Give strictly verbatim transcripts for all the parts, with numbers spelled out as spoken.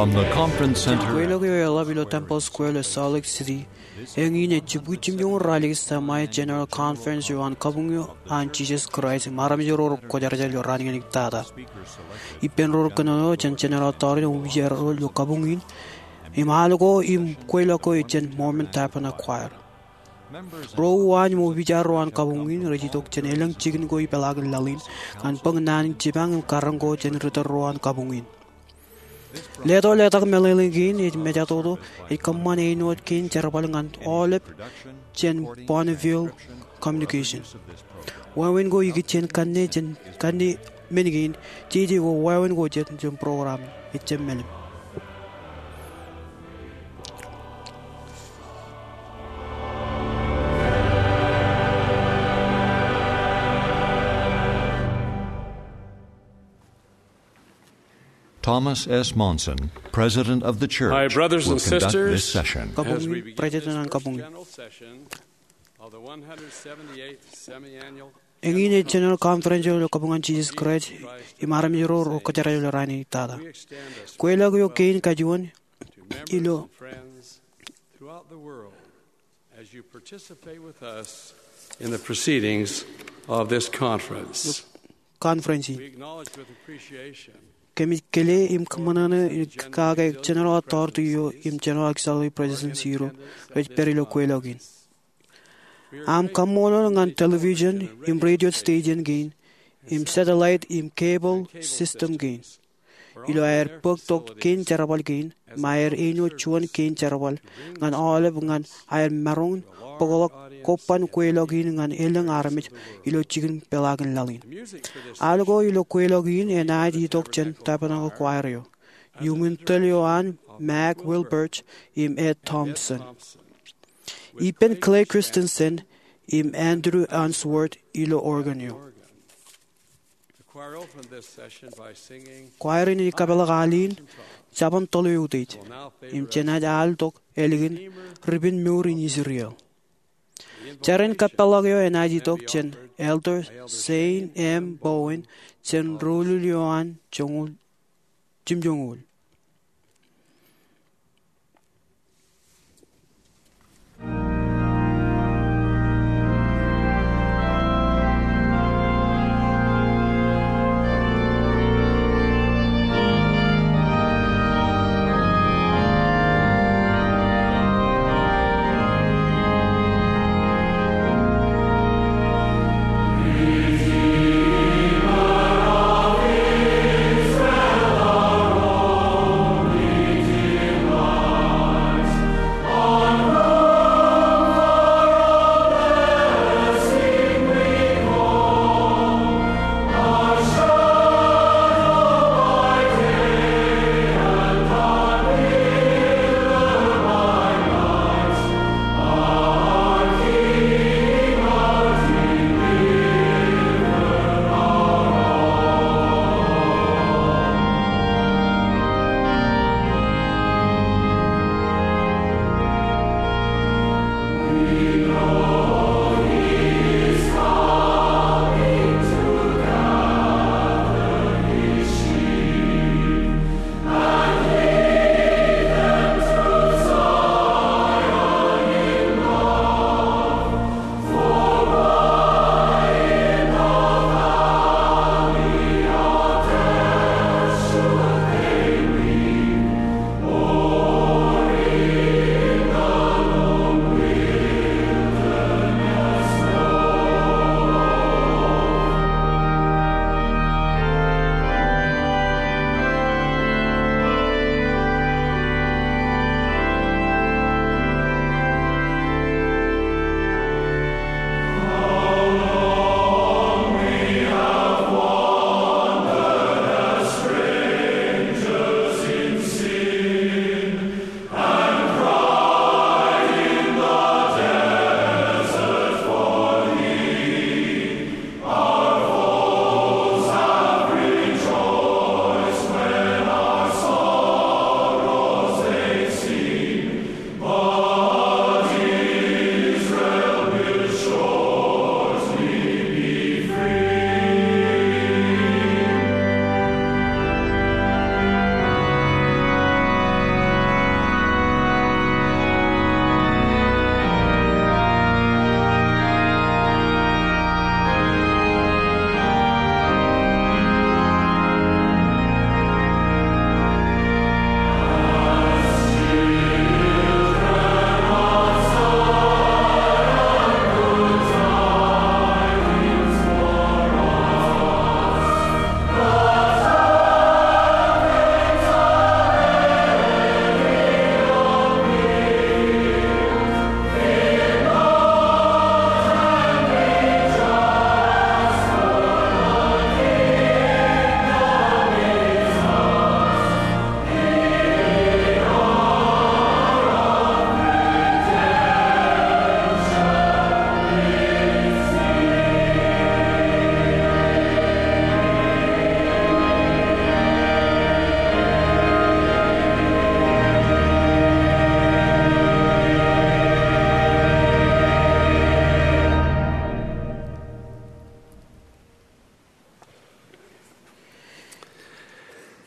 From the conference center. Kweilọk eo eḷap ilo Temple Square ilo Salt Lake City, eñin ej jibukwi jimjuon ralitōk semi-general conference eo an Kabuñ eo an Jesus Christ im armej ro rej kwōjarjar ilo raan in ej tata. Ippān ro rej kōnono eo jān General Authority im opijaer ro ilo kabuñ in, im al ko im kweilọk ko ej jān Mormon Tabernacle Choir. Ro uwaan im opijaer ro an kabuñ in rej itok jān elōñ jikin ko ipeḷaakin laḷ in ñan bōk naan in jipañ im karōñ ko jān ritōl ro an kabuñ in. Leto letak meḷeḷe kein ej mejatoto ej kōṃṃan āinwōt kein jerbal ñan aolep jān Bonneville Communication. Wāween ko ikijjien kanne jān kanne men kein, jeje ko wāween ko jet jān program ej jab meḷeḷe. Thomas S. Monson, President of the Church, My brothers and will conduct sisters, this session. Kabuñ in, President an kabuñ in. General session of the one hundred seventy-eighth semi-annual Eñin ej General Conference eo ilo Kabuñ an Jesus Christ im armej ro rej kwōjarjar ilo raan in ej tata. Kweilọk eo kein kajuon ilo friends throughout the world as you participate with us in the proceedings of this conference. Conference in. We acknowledge with appreciation Kōmij kile im kōṃṃan kake General Authority eo im General Auxiliary Presidency ro rej pād ilo kweilọk in. Am kaṃṃoolol ñan television im radio station kein im satellite im cable system kein ilo aer bōk tok kein jerbal kein im aer āinwōt juon kein jerbal ñan aolep ñan aer maroñ in bōkḷọk koban kweilọk in ñan elōñ armej ilo jikin peḷaakin laḷ in. Al ko ilo kweilọk in enaaj itok jān Tabernacle Choir eo. Iuṃwin tōl eo an Mac Wilbert im Ed Thompson. Ippān Clay Christensen im Andrew Unsworth ilo organ eo. Choir in ej kapeḷḷọk al in, Jabōn Toḷ Eutiej, im jenaaj al tok ālikin Ripin Mour in Israel. Jar in kapeḷḷọk eo enaaj itok jān Elder Zane M. Bowen jān ruulul eo an joñoul, jimjoñoul.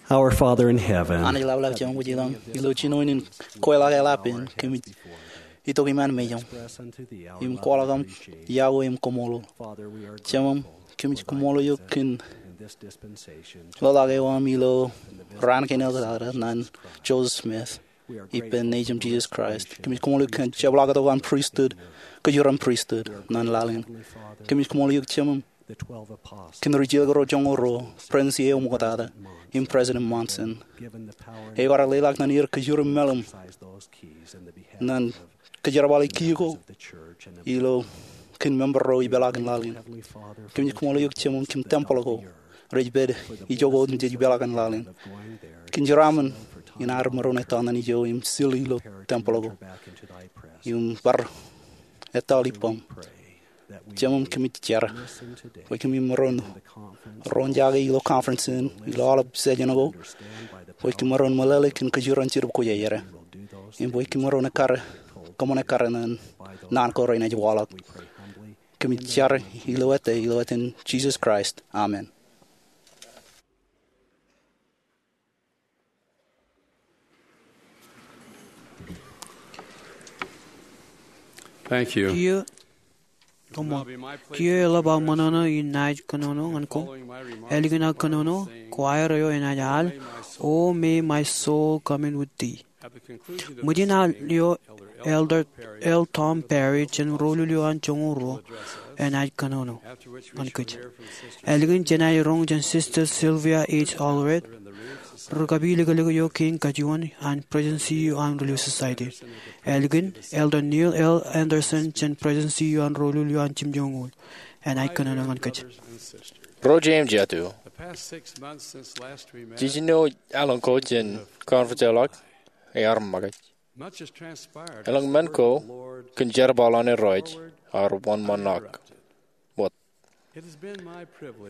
Our Father in heaven, Anij ḷapḷap Jemem kwōj ilọk, ilo jinoin in kweilọk eḷap in kōmij itok iṃaan mejaṃ im kwaḷọk aṃ yokwe im kaṃṃoolol. Jemem, kōmij kaṃṃoolol eok kōn ḷōḷḷọk eo aṃ ilo raan kein eo tata ñan Joseph Smith ippān Nejiṃ Jesus Christ. Kōmij kaṃṃoolol eok kōn jepḷaaktok an pristut, kōjeraṃ pristut ñan laḷ in. Kōmij kaṃṃoolol eok Jemem kōn ri jilkinḷọk ro joñoul ruo, President eo ṃoktata, im President Monson, eo kwaar leḷọk ñan er kōjeraṃ meḷeṃ ñan kōjerbale key ko ilo kōn member ro ipeḷaakin laḷ in. Kōmij kaṃṃoolol eok Jemem kōn tempeḷ ko rej pād ijoko im jej ipeḷaakin laḷ in. Kōn jeraaṃṃan in ad maroñ etto ñan ijo im sil ilo tempeḷ ko im bar etto ḷap ippaṃ. Jemem, kōmij jar bwe kōmij maroñ roñjake ilo conference in ilo aolep session ko, bwe kōm maroñ meḷeḷe kōn kōjeraṃ Jetōb Kwōjarjar, im bwe kōm maroñ ekkar, kōṃṃan ekkar ñan naan ko renaaj waḷọk. Kōmij jar ilo etaṃ, ilo etan Jesus Christ. Amen. Thank you. Kiiō, koṃṃool. Kiiō eḷap aō ṃōṇōṇō in naaj kōnono ñan koṃ. Ālikin aō kōnono, choir eo enaaj al O May My Soul Communion with Thee. Ṃōjin al eo, Elder L. Tom Perry jān ro-lul eo an joñoul ruo enaaj kōnono ñan kōj. Ālikin jenaaj roñ jān Sister Sylvia H. Allred, ri-kapilōklōk eo kein kajuon an Presidency eo an Relief Society. Ālikin Elder Neil L. Andersen jān Presidency eo an ro-lul eo an jimjuonñoul enaaj kōnono ñan kōj. Ro jeiū im jatū, jiljino alen ko jān conference eo ḷọk ear makūt. Elōñ men ko kōn jerbal an Irooj ear wōnṃaanḷọk wōt.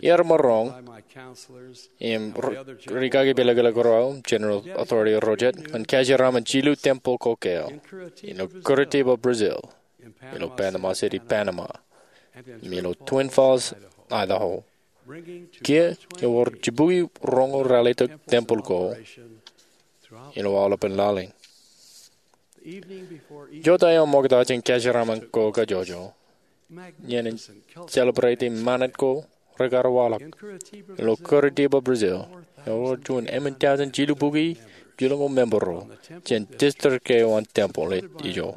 Iar maroñ im ri-kakipilōklōk ro, General Authority ro jet, ñan kōjeraṃṃan jilu tempeḷ ko kōn ilo Curitiba, Brazil, ilo Panama City, Panama, im ilo Twin Falls, Idaho. Kiiō ewōr jibukwi roñoul ralitōk tempeḷ ko ilo aolepān laḷ in. Jota eo ṃokta jān kōjeraṃṃan ko kajjojo, iien in celebrate ṃanit ko rekar waḷọk. Ilo Curitiba, Brazil, ewōr juon emān taujin jilubukwi jilñoul member ro jān district eo an tempeḷ ijo.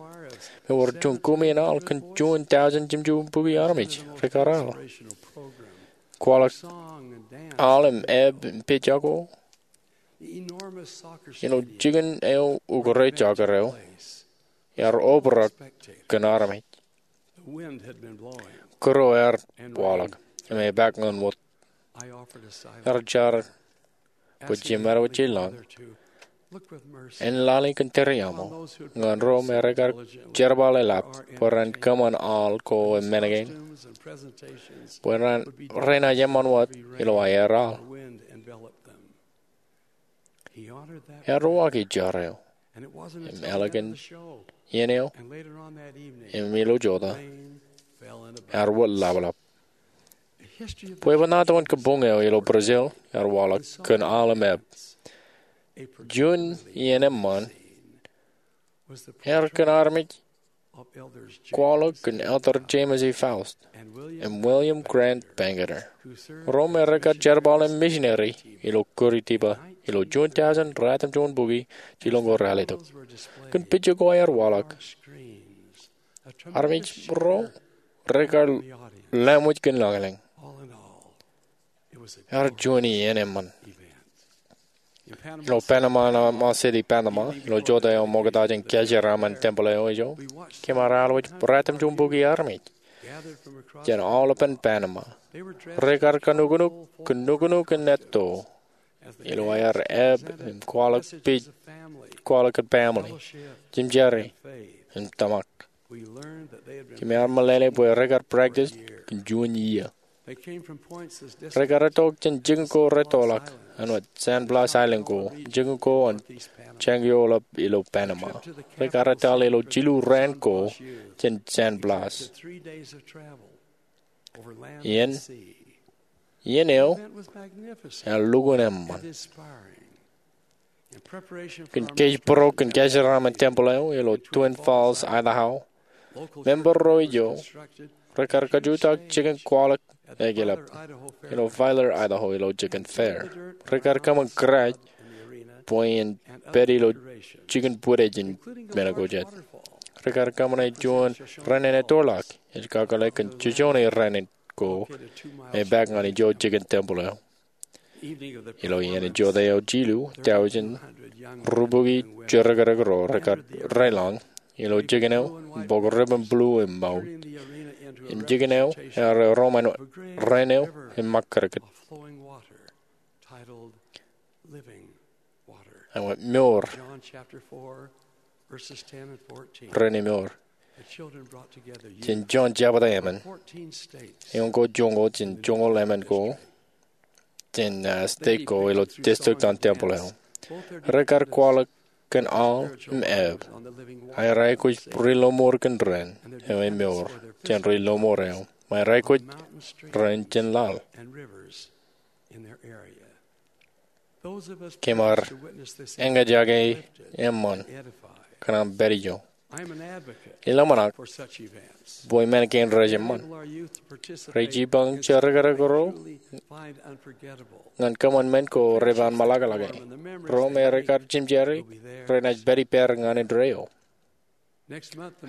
Im ewōr juon kume in al kōn juon taujin jimjuon bukwi armej rekar al. Kwaḷọk al im eb im pejako ilo jikin eo ukōt rej jọkere eo ear obrak kōn armej. Kūr eo ear waḷọk im epaak ñan wōt. Ear jar bwe jemād wōt jān laḷ in, en laḷ in kōn tōre aṃ ñan ro me rekar jerbal eḷap bwe ren kōṃṃan al ko im men kein, bwe renaaj eṃṃan wōt ilo aer al. Ear uwaak jar eo, im ālikin iien eo im ilo jota, ear wōt laplap. Bwebwenato in kabuñ eo ilo Brazil ear waḷọk kōn al im eb. Juon iien eṃṃan ear kōn armej kwaḷọk kōn Elder James E. Faust im William Grant Bangerter, ro me rekar jerbal im misineri ilo Curitiba ilo juon taujin ratimjuon bukwi jilñoul ralitōk. Kōn pejako ear waḷọk, armej ro rekar laṃōj kōn lañlōñ. Ear juon iien eṃṃan. Ilo Panama City, Panama, ilo jota eo ṃokta jān kōjeraṃṃan tempeḷ eo ijo, kōm ar alwōj ratimjuon bukwi armej jān aolepān Panama. Rekar kanuknuk kōn nuknuk in etto ilo aer eb im kwaḷọk pej, kwaḷọk kōn family, jimjari im tōmak. Kōm ar meḷeḷe bwe rekar practice kōn juon iiō. Rekar etto jān jikin ko rettoḷọk āinwōt San Blas Island ko, jikin ko an jān ioḷap ilo Panama. Rekar etal ilo jilu raan ko jān San Blas. Iien, iien eo ear lukkuun eṃṃan. Kōn kōjparok kōn kajeraaṃṃan tempeḷ eo ilo Twin Falls, Idaho, member ro ijo rekar kajutak jikin kwaḷọk eklep ilo Filer, Idaho ilo jikin fair. Rekar kōṃṃan kōrā bwe en pād ilo jikin bwidej in men ko jet. Rekar kōṃṃane juon rānin ettoḷọk ej kakōḷḷe kōn jejone rānin ko me epaak ñan ijo jikin tempeḷ eo. Ilo iien eo jota eo jilu, tọujin rubukwi jerkedik ro rekar rōlañ ilo jikin eo im bōk ribbon blue im mour. Im jikin eo ear erom an rāin eo im ṃōk kōdkōd. Ewōr, rāin eo eor. Jān Jon jebta emān, eoon ko joñoul jān joñoul emān ko jān, ah, state ko ilo district an tempeḷ eo. Rekar kwaḷọk kōn Aḷ im Ev. Ak rej aikuj ri lọmọọr kōn rāin eo emour jān ri lọmọọr eo. Im rej aikuj rāin jān laḷ. Kōm ar eñjake eṃṃan kōn aṃ pād ijo. Ij ḷōmṇak bwe men kein rej eṃṃan. Rej jipañ jerkedik ro ñan kōṃṃan men ko rej pād ṃōḷaḷḷe. Ro me rekar jimjari renaaj pād ippāer ñan indeeo.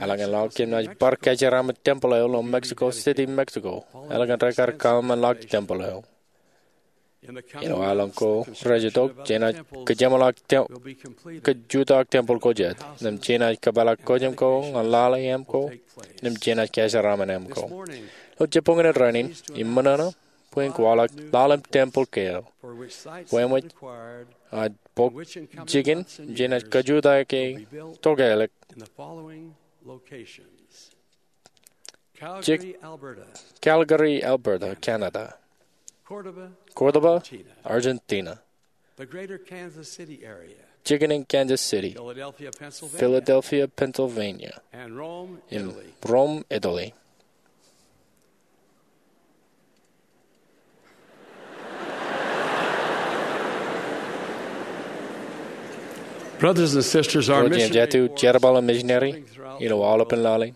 Eḷaññe ḷọk kōm naaj bar kajeraaṃṃan tempeḷ eo ilo Mexico City, Mexico. Eḷaññe rekar kōṃṃanḷọk tempeḷ eo ilo aelōñ ko rej itok, jenaaj kōjeṃḷọk tem-, kōjutak tempeḷ ko jet. Im jenaaj kōpeḷḷọk kōjām ko ñan lale eṃ ko. Im jenaaj kajeraaṃṃan eṃ ko. Ilo jibboñin rainin, im ṃōṇōṇō bwe en kwaḷọk laḷ im tempeḷ kāāl. Bwe eṃōj, ah, bōk jikin jenaaj kōjutak e tokālik. Jik, Calgary, Alberta, Canada. Córdoba, Argentina. Jikin in Kansas City. Philadelphia, Pennsylvania. Im Rome, Italy. Brothers and sisters, our mission, jerbal im misineri ilo aolepān laḷ in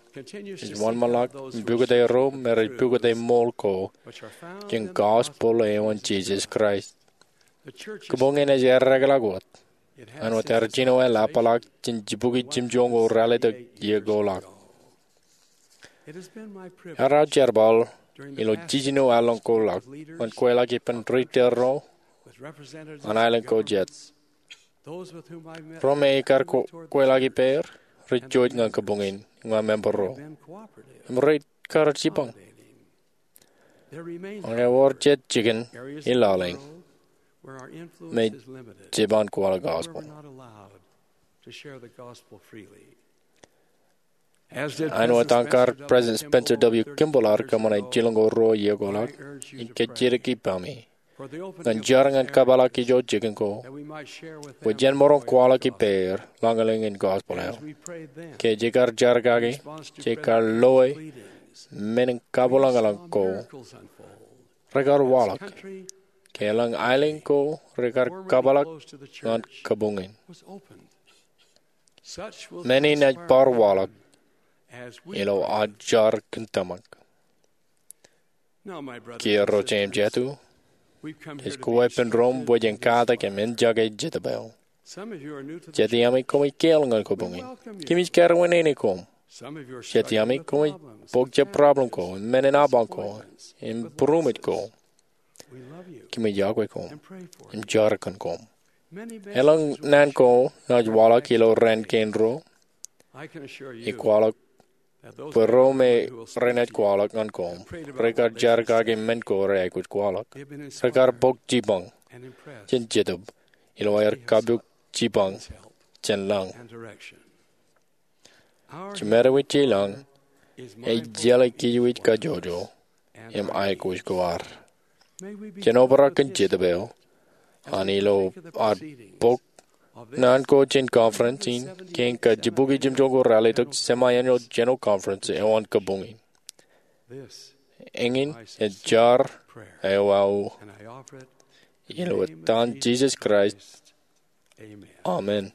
ej wōnṃaanḷọk im pukot ro me rej pukot ṃool ko jān gospel eo an Jisōs Kraist. Kabuñ in ej eddekḷọk wōt. Āinwōt ear jino eḷapḷọk jān jibukwi jimjuon ko ralitōk iiō ko ḷọk. Ear aō jerbal ilo jiljino aelōñ ko ḷọk ñan kweilọk ippān ri tōl ro an aelōñ ko jet. Ro me ikar kweilọk ippāer rej jouj ñan kabuñ in ñan member ro im rej kar jipañ. Ak ewōr jet jikin ilaḷ in me jej jab kwaḷọk gospel. Āinwōt an kar President Spencer W. Kimball ear kōṃṃane jilōñ ko ruo iiō ko ḷọk, ij kajjitōk ippaṃ ñan jar ñan kōpeḷḷọk ijo jikin ko bwe jen maroñ kwaḷọk ippāer lañlōñ in gospel eo. Ke jej kar jar kaki, jej kar loe men in kabwilōñlōñ ko rekar waḷọk, ke elōñ aelōñ ko rekar kōpeḷḷọk ñan kabuñ in. Men in ej bar waḷọk ilo aō jar kōn tōmak. Kiiō ro jeiū im jatū, ej kōweeppān ro bwe jen katak im enjake Jetōb eo. Jet iaami koṃij kāāl ñan kabuñ in. Kōmij karuwaineneik koṃ. Jet iaami koṃij bōk jab problem ko, men in apañ ko, im būruṃōj ko. Kōmij yokwe koṃ im jar kōn koṃ. Elōñ naan ko naaj waḷọk ilo raan kein ruo. Ij kwaḷọk bwe ro me renaaj kwaḷọk ñan koṃ rekar jar kaki men ko reaikuj kwaḷọk. Rekar bōk jipañ jān Jetōb ilo aer kabuik jipañ jān lañ. Jimetwōj ilo lañ ej jeḷā kōj wōj kajjojo im aikuj ko ad. Jen obrak kōn Jetōb eo an ilo ad bōk naan ko jān conference in kein kajibukwi jimjuon ko ralitōk semi-annual general conference eo an kabuñ in. Eñin ej jar eo aō ilo etan Jisōs Kraist Amen.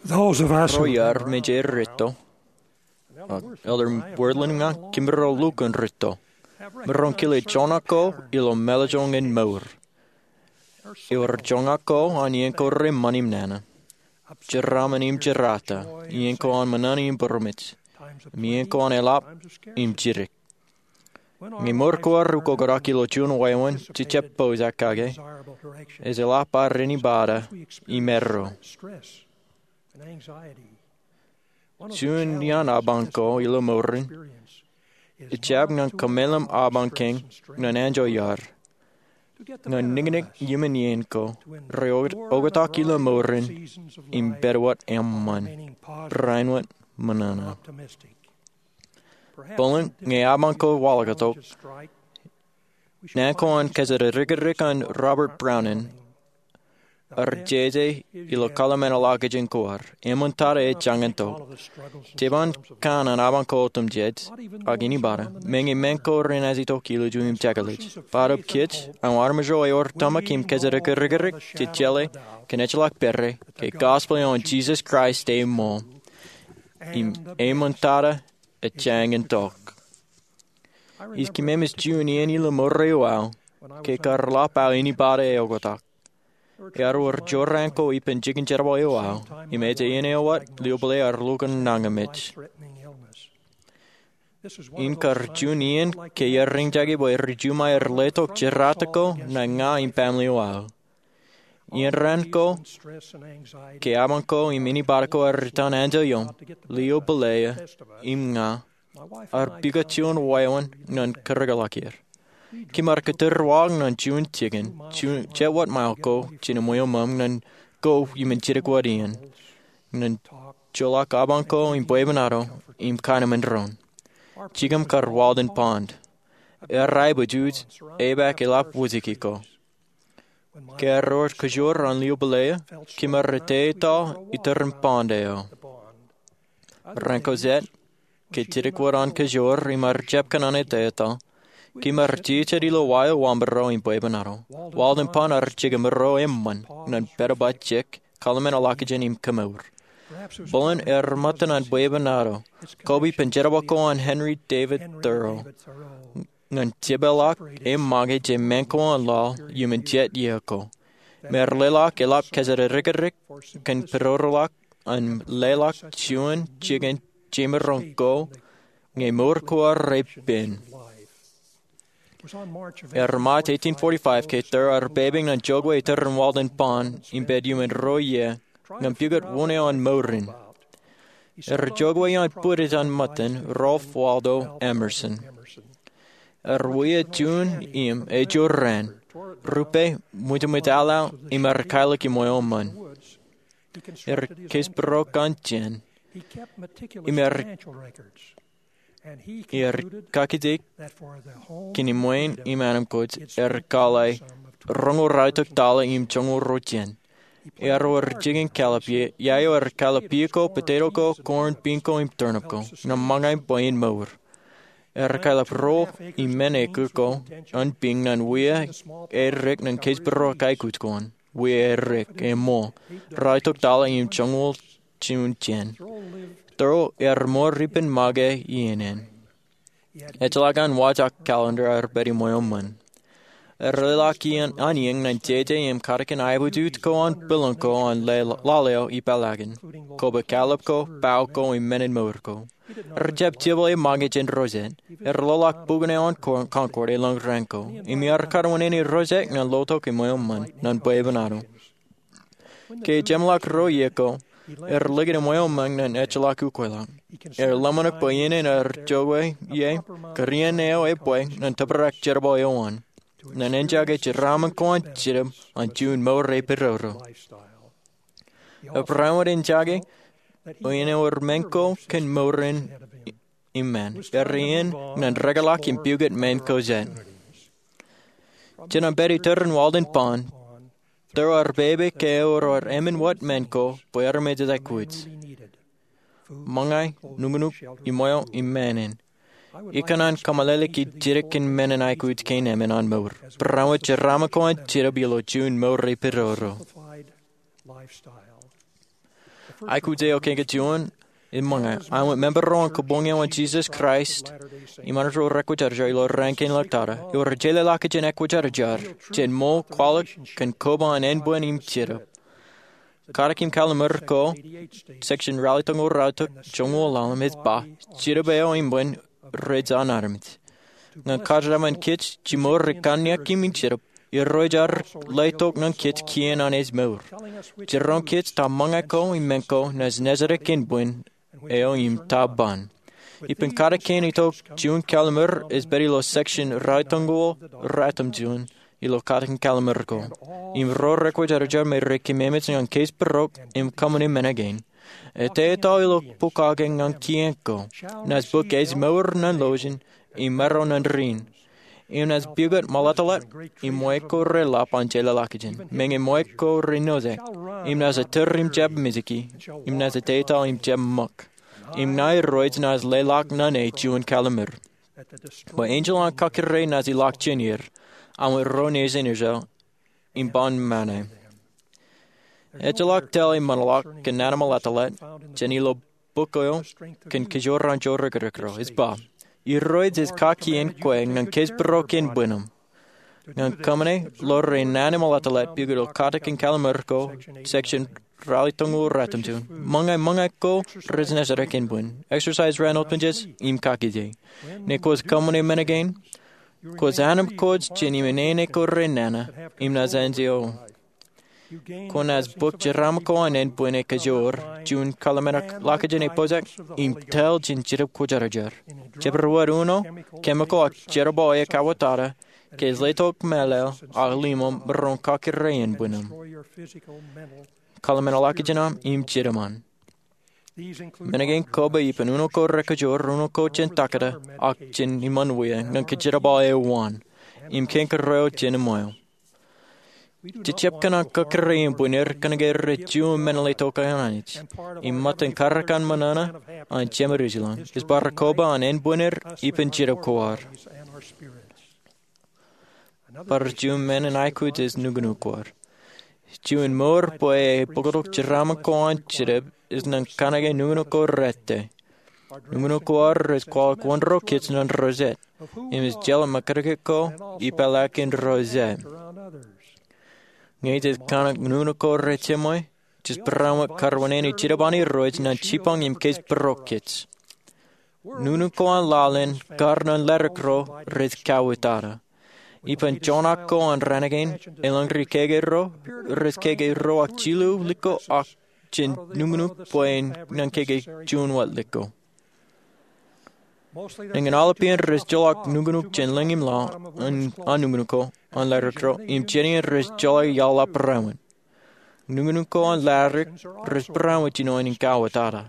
Ro iar mejād rūtto, Elder Wordlin im ña kimirro lukkuun rūtto. Maroñ kile joñak ko ilo mālōtlōt in mour. Ewōr joñak ko an iien ko reṃṃan im nana. Jeraaṃṃan im jerata. Iien ko an ṃōṇōṇō im būroṃōj. Im iien ko an eḷap im jidik. Ñe mour ko ar ukoktak ilo juon wāween, jejjab pooj aō kake. Ej eḷap ad āinwōt āinwōt im erro. Juon iaan apañ ko ilo mour in, ejjab ñan kōmeḷeḷe apañ kein ñan anjọ iar, ñan niknik iien ko, re oktak ilo mour in im pād wōt eṃṃan, āinwōt ṃōṇōṇō. Bōlen ñe apañ ko waḷọk tok, naan ko an kōjatdikdik an Robert Brown in, ear jeje ilo kōḷmānḷọkjeṇ ko ad, eṃṃan tata ej jañin tok. Jeban kanaan apañ ko otemjej, ak āinwōt āinwōt, meñe men ko renaaj itok ilju im jekḷaj. Bōtab kōj, aō armej ro ewōr tōmak im kōjatdikdik, jej jeḷā, kōn ejjeḷọk pere, ke gospel eo an Jesus Christ eṃṃan. Im eṃṃan tata ej jañin tok. Ij kememej juon iien ilo mour eo aō, ke kar ḷap aō āinwōt āinwōt eoktak. Ear wōr jorrāān ko ippān jikin jerbal eo aō, im ej iien eo wōt lio bōle ear lukkuun nañinmej. Im kar juon iien ke iar eñjake bwe ri Juma ren letok jerata ko ñan ña im baaṃle eo aō. Iien raan ko, ke apañ ko im āinwōt ko ear itōn anjọ ioṃ, lio bōle eō im ña ar pukot juon wāween ñan kōrōkḷọk er. Kōm ar kōtōrwaḷọk ñan juon jikin, juon jet wōt mail ko jān eṃwiuṃōṃ ñan ko iuṃwin jidik wōt iien, ñan joḷọk apañ ko im bwebwenato im kanemān doon. Jikōṃ kar Walden Pond. Ear aebōjuj, epaak eḷap wōjke ko. Ke ear ewōr kōjoor an lio pile eo, kōm ar etetaḷ iturin pond eo. Raan ko jet, ke jidik wōt an kōjoor im ar jab kōṇaan etetaḷ, kōm ar jejet ilo wa eo wamro im bwebwenato. Walden Pond ear jekōmro eṃṃan ñan pād bar jek, kōḷmānḷọkjeṇ im kōmour. Bōlen ear ṃōttan an bwebwenato, kab ippān jerbal ko an Henry David Thoreau ñan jepeḷḷọk eṃṃaan jān men ko an laḷ iuṃwin jet iiō ko. Im ear leḷọk eḷap kōjatdikdik kōn pedodoḷọk an leḷọk juon jikin jemaroñ ko ñe mour ko ar repen. Ear March eighteen forty-five ke Thoreau ear pepe ñan jokwe iturin Walden Pond im pād iuṃwin ruo iiō ñan pukot wōn eo an mour in. Ear jokwe ioon bwidej an ṃōttan Ralph Waldo Emerson. Ear wia juon im ejurrāān, rupe, ṃwijṃwij aḷaḷ im ear kailōk eṃwiuṃōṃ. Ear keij būruon jān im ear ear kakijek kōn eṃṃaan im anamkwōj ear kwaḷọk roñoul ralitōk taḷa im joñoul ruo jān. Ear ewōr jikin kallib, ia eo ear kallib pea ko, potato ko, corn, bean ko im turnip ko ñan ṃōñā bwe en mour. Ear kallib ruo im men eke ko an bean ñan wia erik ñan keij būruon aikuj ko an. Wia erik, eṃool, ralitōk taḷa im joñoul juon jān. Thoreau ear mour ippān make iien in. Ejjeḷọk an wōj ak calendar ear pād eṃwiuṃōṃ. Ear leḷọk iien an iien ñan jeje im katakin aebōjuj ko an pilōñ ko an laḷ eo ippaḷ akin, kōba kallib ko, bao ko im men in mour ko. Ear jab jepel eṃṃaan jān ro jet. Ear loḷọk bukwōn eo an Concord elōñ raan ko im ear kar wūnin ro jet ñan lotok eṃwiuṃōṃ ñan bwebwenato. Ke ejemḷọk ruo iiō ko, ear likūt eṃwiuṃōṃ ñan ejjeḷọk ukweḷọk. Ear ḷōmṇak bwe iien in ear jokwe ie kar iien eo ebwe ñan tōprak jerbal eo an, ñan enjake jeraaṃṃan ko an Jetōb an juon mour epidodo. Ear barāinwōt enjake bwe en ewōr men ko kōn mour in im men, ear iien ñan rekōḷọk im pukot men ko jet. Jān an pād iturin Walden Pond, Thoreau ear pepe ke ewōr emān wōt men ko bwe armej ej aikuj. Ṃōñā, nuknuk, eṃwiiō im men in. Ikōṇaan kōmeḷeḷeik ij jidik kōn men in aikuj kein emān an mour. Barāinwōt jeraaṃṃan ko an Jetōb ilo juon mour epidodo. Aikuj eo kein kein juon, im ṃōñā, āinwōt member eo an Kōbuñ eo an Jesus Christ im Anij ro Rekwōjarjar ilo Raan Kein Ḷọk Tata, ewōr jeḷāḷọkjeṇ ekwōjarjar jān ṃool kwaḷọk kōn koba an ānbwin im Jetōb. Katak im Kalliṃur ko, section ralitōñoul ralitōk joñoul ḷalem ej ba, Jetōb eo ānbwin rej an armej. Ñan kōjatdikdik kōj jimor ri kanniōk im Jetōb, Irooj ear letok ñan kōj kien an ej mour. Jiroñ kōj ta ṃōñā ko im men ko naaj nōsdik ānbwin eo im ta ban. Ippān katak kein itok juon kalliṃur ej pād ilo section ralitōñoul ratimjuon ilo katak in kalliṃur ko. Im ro rekwōjarjar me ri kememej ñan keij būruō im kōṃṃane men kein. Ej etal ilo bok kake ñan kien ko. Naaj bōk ej mour ñan lọjien im maro ñan rin. Im naaj pukot ṃaḷatḷat im wāween ko reḷap an jeḷāḷọkjeṇ. Meñe wāween ko renaaj ṃōjak. Im naaj itur im jab mejeki. Im naaj etal im jab ṃōk. Im ña Irooj naaj leḷọk ñan e juon kalliṃur. Bwe enjeḷ an kakōrā naaj ilọk jān er. Āinwōt ro nejin Israel im ban ṃane. Ejjeḷọk tōl eṃṃanḷọk kōn naan in ṃaḷatḷat jān ilo bok eo kōn kōjro an jidikdik ro. Ej ba, Irooj ej kakien kwe ñan keij būruō ānbwin im. Ñan kōṃṃane ḷọk ri naan in ṃaḷatḷat pukot ilo katak in kalliṃur ko, section ralitōñoul ratimjuon. Ṃōñā, ṃōñā ko rej nōsdik ānbwin. Exercise raan otemjej im kakije. Ñe kwōj kōṃṃane men kein, kwōj anemkwōj jān iminene ko renana im naaj enjeḷ. Kwōnaaj bōk jeraaṃṃan ko an ānbwin ekajoor, juon kalliṃur ḷọkjeṇ epojak, im tōl jān Jetōb Kwōjarjar. Jabdewōt uno, chemical ak jerbal eo ekauwōtata, ke ej letok mālōḷ ak limo maroñ kakkure ānbwinnem. Kōḷmānḷọkjeṇ aṃ im jidim an. Men kein koba ippān uno ko rekajoor, uno ko jān takata, ak jān iṃaan wia ñan kōjerbal eo an, im kein kōrā eo jān eṃṃan eo. Jej jab kōṇaan kakkure ānbwin er kōnke rej juon men letok an Anij, im ṃōttan karōk an ṃōṇōṇō an Jemedūs ilañ ej bar koba an ānbwin er ippān jetōb ko ad. Bar juon men in aikuj ej nuknuk ko ad. Juon mour bwe e bōktok jeraaṃṃan ko an jetōb ej ñan kōnke nuknuk ko rot. Nuknuk ko ad rej kwaḷọk wōnro kōj ñan ro jet, im ej jeḷā ṃōkajjitōk ko ippaḷọk in ro jet. Ñe jej kōṇaan nuknuk ko rej jeṃwe, jej barāinwōt karwōnen ej jidik an Irooj ñan jipañ im kōjparok kōj. Nuknuk ko an laḷ in kar ñan ḷaddik ro rej kauwōtata. Ippān joñak ko an raan kein, elōñ ri keke ro rej keke ruo ak jilu likko ak jān nuknuk bwe en ñan keke juon wōt likko. Eñin aolep iien rej joḷọk nuknuk jān lōñ im laḷ an nuknuk ko an ḷaddik ro, im jān iien rej joḷọk iaḷ ḷap barāinwōt. Nuknuk ko an ḷaddik rej barāinwōt jinoin in kauwōtata.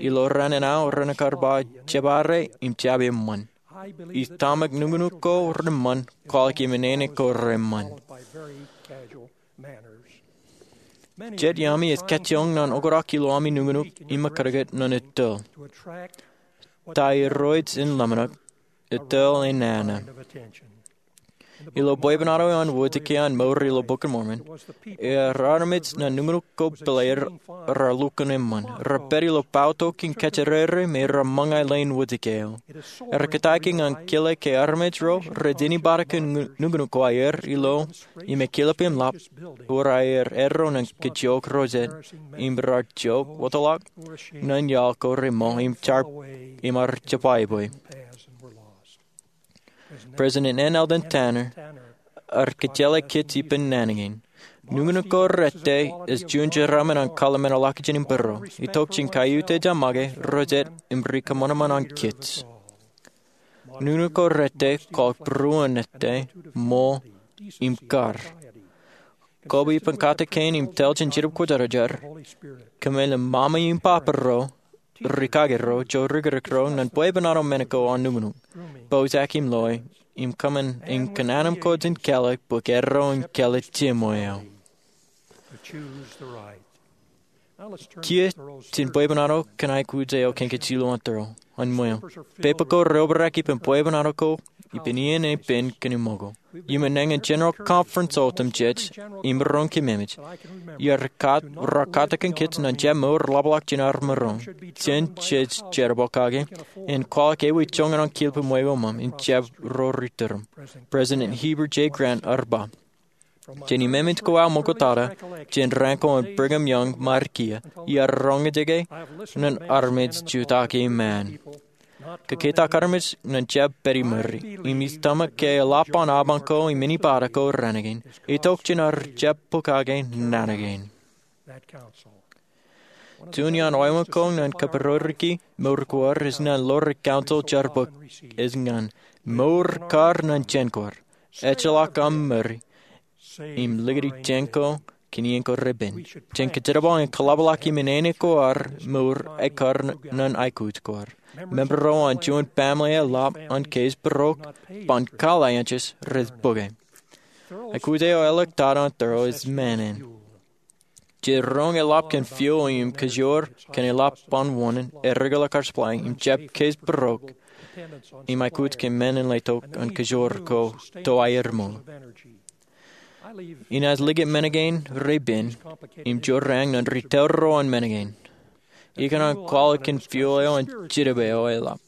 Ilo raan in aō renaaj kar ba jebare im jab eṃṃan. Ij tōmak nuknuk ko reṃṃan kwaḷọk im nene ko reṃṃan. Jet iaami ej kajjioñ ñan oktak ilo ami nuknuk im ṃōkajjitōk ñan etal. Ta Irooj en ḷōmṇak, etal en nana. Ilo bwebwenato eo an wōjke an mour ilo Bok in Mormon, ear armej ñan nuknuk ko pāleer raar lukkuun eṃṃan, raar pād ilo bautok in kōjjirere me raar ṃōñā leen wōjke eo. Ear kōtaiki ñan kile ke armej ro rej āinwōt kōn nuknuk ko aer ilo im ekilep im ḷap, ewōr aer eddo ñan kōjjioñ ro jet, im raar jook wōtlọk ñan iaḷ ko reṃool im jar im ar jebwābwe. President N. Eldon Tanner ear kōjjeḷā kōj ippān naan kein. Nuknuk ko rot ej juon jeraaṃṃan an kōḷmānḷọkjeṇ im būruō. Itok jān kaiuta ej make ro jet im ri kōṃanṃan an kōj. Nuknuk ko rot kwaḷọk būruon rot, ṃool im kar. Koba ippān katak kein im telōj in Jetōb Kwōjarjar, kōmālem Mama im Papa ro, rikaki ro, jorikirik ro, ñan bwebwenato men ko an nuknuk, poujak im loe, im kōṃṃan in kōṇaan ko jān kālōk bwe kōjro in kālōk jeṃwe eo. Kiiō jān bwebwenato kōn aikuj eo kōn kōj ilo an tōre an ṃweo. Pepe ko reobrak ippān bwebwenato ko ippān iien epen kōn iṃōk ko. Iuṃwin nañin General Conference otemjej im roñ kememej, iar katak kōn kōj ñan jab mour ḷapḷọk jān armej ro jān jej jerbal kake, en kwaḷọk ewi joñan an kiiō ṃweo ṃōṃ in jab ro ri turuṃ. President Heber J. Grant ear ba, jān imemej ko aō ṃoktata, jān raan ko an Brigham Young ṃaar kiiō, iar roñjake ñan armej jutak iṃaan. Kōketak armej ñan jab pād iṃōri, im ij tōmak ke eḷap an apañ ko im āliktata ko raan kein, itok jān ar jab bōk kake naan kein. Juon iaan oeṃōj ko ñan kabūrooriki mour ko ad ej ñan ḷoor council jar bōk ej ñan mour kar ñan jān ko ad, ejjeḷọk aṃ ṃōri, im likūti jān ko kōn iien ko repen. Jān kōjerbal in kōḷapḷọk im nene ko ad mour ekkar ñan aikuj ko ad. Member ro an juon baaṃle eḷap an case būrook ban kōḷḷā-anjās rej bōke. Aikuj eo eḷḷọk tata an tōre ej māāṇāṇ. Jej roñ eḷap kōn fuel im kōjoor kōn eḷap an wōṇāān, erekilaaj kar supply im jab case būrook im aikuj kōn men in letok an kōjoor ko to aer ṃool. Inaaj likūt men kein repen im jorrāān ñan ri tōl ro an men kein. Ikōṇaan kwaḷọk kōn fuel eo an Jetōb eo eḷap.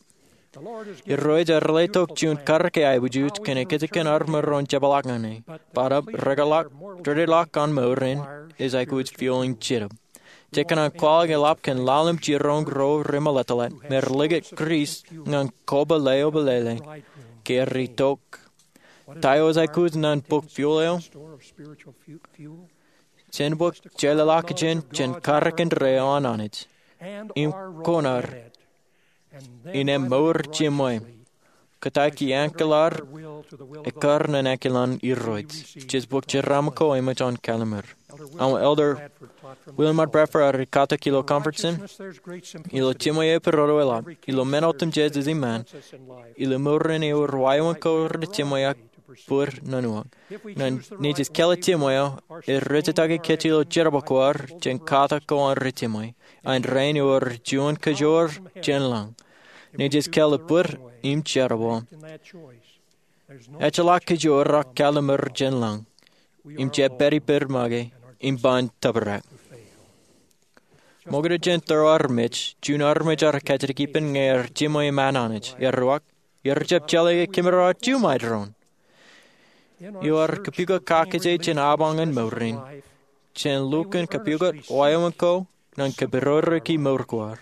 Irooj ear letok juon karōk eaikuj kōn ekōjkan armej ro en jepḷaak ñan e. Bōtab, rekeḷọk, dedeḷọk an mour in ej aikuj fuel in Jetōb. Jej kōṇaan kwaḷọk eḷap kōn lale im jiroñ ro remeḷeḷe me rej likūt Kriist ñan koba leopeḷeḷe ke rej itok. Ta eo ej aikuj ñan bōk fuel eo? Jen bōk jeḷāḷọkjeṇ jān karōk indeeo an Anij im koṇaer in mour jeṃwe. kōtaiki ankōḷ ad ekkar ñan ankōḷ an Irooj. Jej bōk jeraaṃ ko eṃōj an kalliṃur. Aṃ Elder William R. Bradford ear katak ilo conference in, ilo jiṃwe eo epirodo eḷap, ilo men otemjej ej iṃaan, ilo mour in ewōr wāween ko rej jiṃwe ak bōd nōn uwaak. Ñe jej kāāl jiṃwe eo, ear rejjitōk kōj ilo jerbal ko aer jān katak ko an ri jiṃwe. An rainin ewōr juon kajoor jān lañ. Ñe jej kāāl bōd im jerbal, ejjeḷọk kajoor ak kalliṃur jān lañ. Im jab pād ippād make im ban tōprak. Ṃokta jān tōre armej, juon armej ear kajjitōk ippān ñe ear jiṃwe iṃaan Anij. Ear uwaak, ear jab jeḷā ke kōmro aō juṃae doon. Eo ear kapukot kakōjā jān apañ in mour in, jān lukkuun kapukot wāween ko ñan kapidodoiki mour ko ad,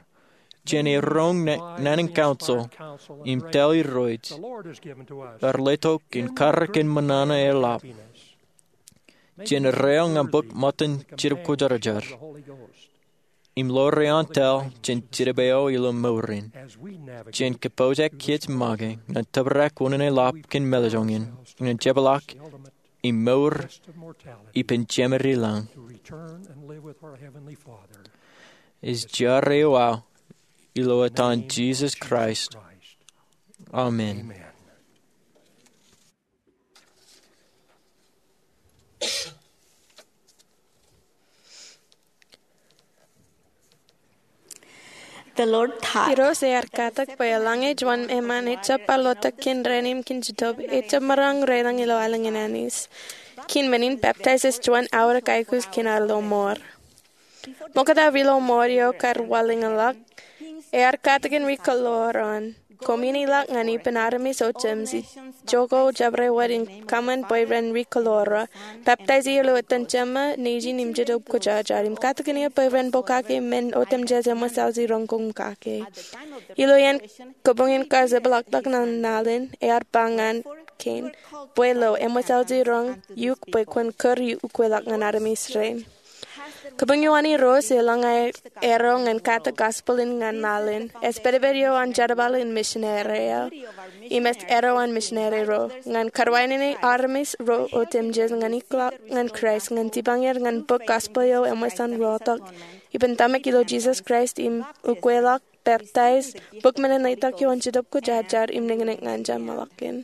jān eroñ naan in counsel im tōl Irooj, ear letok in karōk in ṃōṇōṇō eḷap, jān reo ñan bōk ṃōttan Jetōb Kwōjarjar, im ḷoor eoon tōl jān Jetōb eo ilo mour in, jān kapojak kōj make ñan tōprak unin eḷap kōn mālejñin, ñan jepḷaak im mour ippān jemād i lañ. Ij jar eo aō ilo etan Jisōs Kraist. Amen. Irooj ear katak bwe eḷaññe juon eṃṃan ejjab bar lotak kōn ren im kōn Jetōb, ejjab maroñ reilañ ilo aelōñ in Anij. Kōn men in, peptaij ej juon aorōk aikuj kōn ad lo mour. Ṃokta ilo mour eo kar wanlōñḷọk, ear katakin ri kōḷḷoor an koṃwin ilọk ñan ippān armej otemjej, ijoko jabdewōt in kōṃṃan bwe ren ri kōḷḷoor. Peptaij ilo etan Jema, Nejin im Jetōb Kwōjarjar, im katakin er bwe ren pokake men otemjej eṃōj aō jiroñ koṃ kake. Ilo iien kabuñ in kar jepḷaakḷọk ñan laḷ in, ear ba ñan kein, bwe lo eṃōj aō jiroñ eok bwe kwōn kūr ukweḷọk ñan armej rein. Kabuñ eo an Irooj eḷaññe arro ñan katakin gospel in ñan laḷ in, ej pedped eo an jerbal in misineri eo. Im ej arro an misineri ro ñan karwaineneik armej ro otemjej ñan ikḷọk ñan Kraist, ñan jipañ er ñan bōk gospel eo eṃōj an rotok ippān tōmak ilo Jisōs Kraist im ukweḷọk, peptaij, bōk men in letok eo an Jetōb Kwōjarjar im nañinñeej ñan jeṃḷọkin.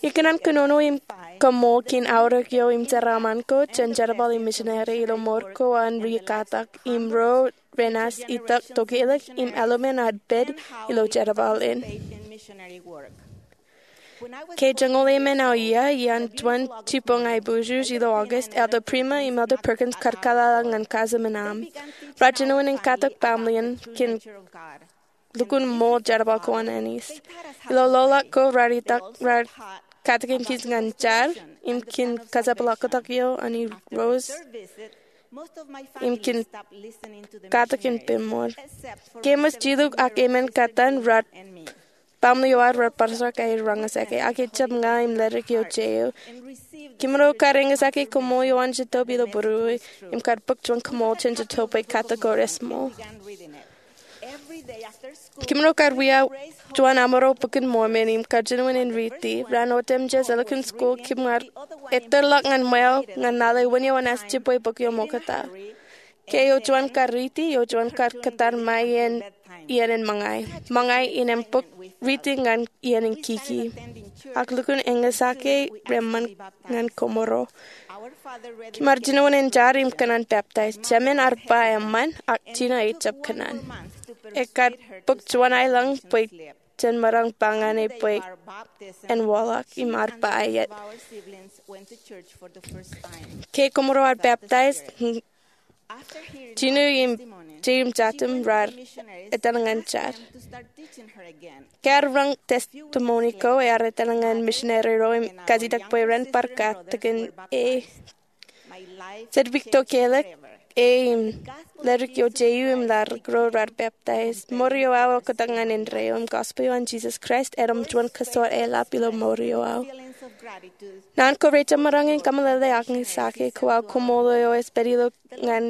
Ikōṇaan kōnono im kaṃṃool kōn aorōk eo im jeraaṃṃan ko jān jerbal im misineri ilo mour ko an ri katak im ro renaaj itok tokālik im aolep ad pād ilo jerbal in. Ke joñoul emān aō iiō, iaan juon jibboñ aiboojoj ilo August, Elder Prima im Elder Perkins kar kōḷḷā ñan cousin in aṃ. Raar jinoin in katak baaṃle in kōn lukkuun ṃool jerbal ko an Anij. Ilo loḷọk ko raar itok, raar katakin kōj ñan jar im kōn kōjepḷaaktok eo an Irooj im kōn katakin peiṃṃool. Ke eṃōj jiluk ak emān kōttan, raar baaṃle eo aer raar bar juon aer roñjake, ak ejjab ña im ledik eo je eo. Kōmro kar eñjake koṃṃool eo an Jetōb ilo būruō im kar bōk juon koṃṃool jān Jetōb bwe katak ko rej ṃool. Kōmro kar wia juon aṃro Bok in Mormon im kar jinoin in riiti. Raan otemjej elukkuun school kōm ar ettōrḷọk ñan ṃweo ñan lale wūnin eo enaaj jibwe bok eo ṃokta. Ke eo juon kar riiti, eo juon kar kōttar ṃae iien, iien in ṃōñā. Ṃōñā in ej bōk riiti ñan iien in kiki. Ak lukkuun eñjake reṃṃan ñan kōmro. Kōm ar jinoin in jar im kōṇaan peptaij. Jemān ear ba eṃṃan, ak Jino ejjab kōṇaan. Ekar bōk juon aelōñ bwe jen maroñ ba ñan e bwe en waḷọk im ear ba aet. Ke kōmro ar peptaij, Jino im, Jay im Jatim raar etal ñan jar. Ke ear roñ testimony ko, ear etal ñan misineri ro im kajitak bwe ren bar katakin e. Jet wiik tokālik, e im ledik eo Jay im ladik ro raar peptaij. Mour eo aō eoktak ñan indeeo im gospel eo an Jisōs Kraist erom juon kōsor eḷap ilo mour eo aō. Naan ko rejjab maroñ in kōmeḷeḷe ak ñe eñjake ko aō koṃṃool eo ej pād ilo ñan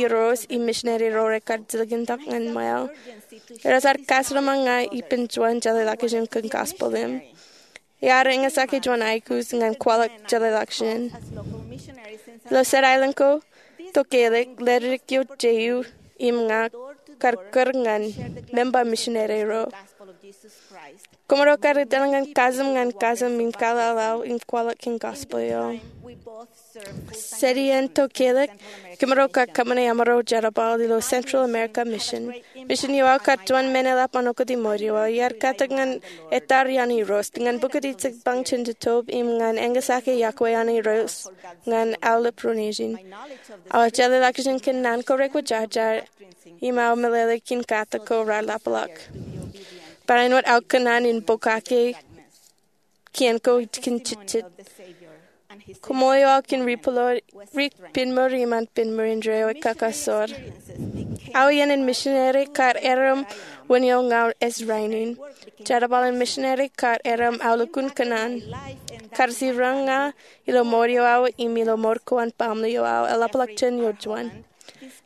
Irooj im misineri ro rekar jilkintok ñan ṃweo. Eros ear kajeṃḷọk ña ippān juon jeḷāḷọkjeṇ kōn gospel im ear eñesake juon aikuj ñan kwaḷọk jeḷāḷọkjeṇ. Ilo jet aelōñ ko, Tokālik, ledik eo je eo im ña kar kūr ñan memba misineri ro. Kōmro kar etal ñan kajeṃ ñan kajeṃ im kaḷaḷao im kwaḷọk kōn gospel eo. Jet iien Tokālik, kōmro kar kōṃṃane amro jerbal ilo Central America Mission. Misin eo aō kar juon men eḷap an okōtimour eo aō. Iar katak ñan etal iaan Irooj, ñan pukot jipañ jān jetōb im ñan eñesake iọkwe an Irooj ñan aolep ro nejin. Aō jeḷāḷọkjeṇ kōn naan ko rekwōjarjar im aō meḷeḷe kōn katak ko raar ḷapḷọk. Barāinwōt aō kōṇaan in pokake kien ko kōn jejjet. Koṃṃool eo aō kōn ri-pād eo, ri-penmour iṃaan penmour indeeo ekakasoor. Aō iien in misineri kar erom wūn eo ña ej rainin. Jerbal in misineri kar erom aolukkuun kōṇaan. Kar jiroñ ña ilo mour eo aō im ilo mour ko an baaṃle eo aō eḷapḷọk jān ioon juon.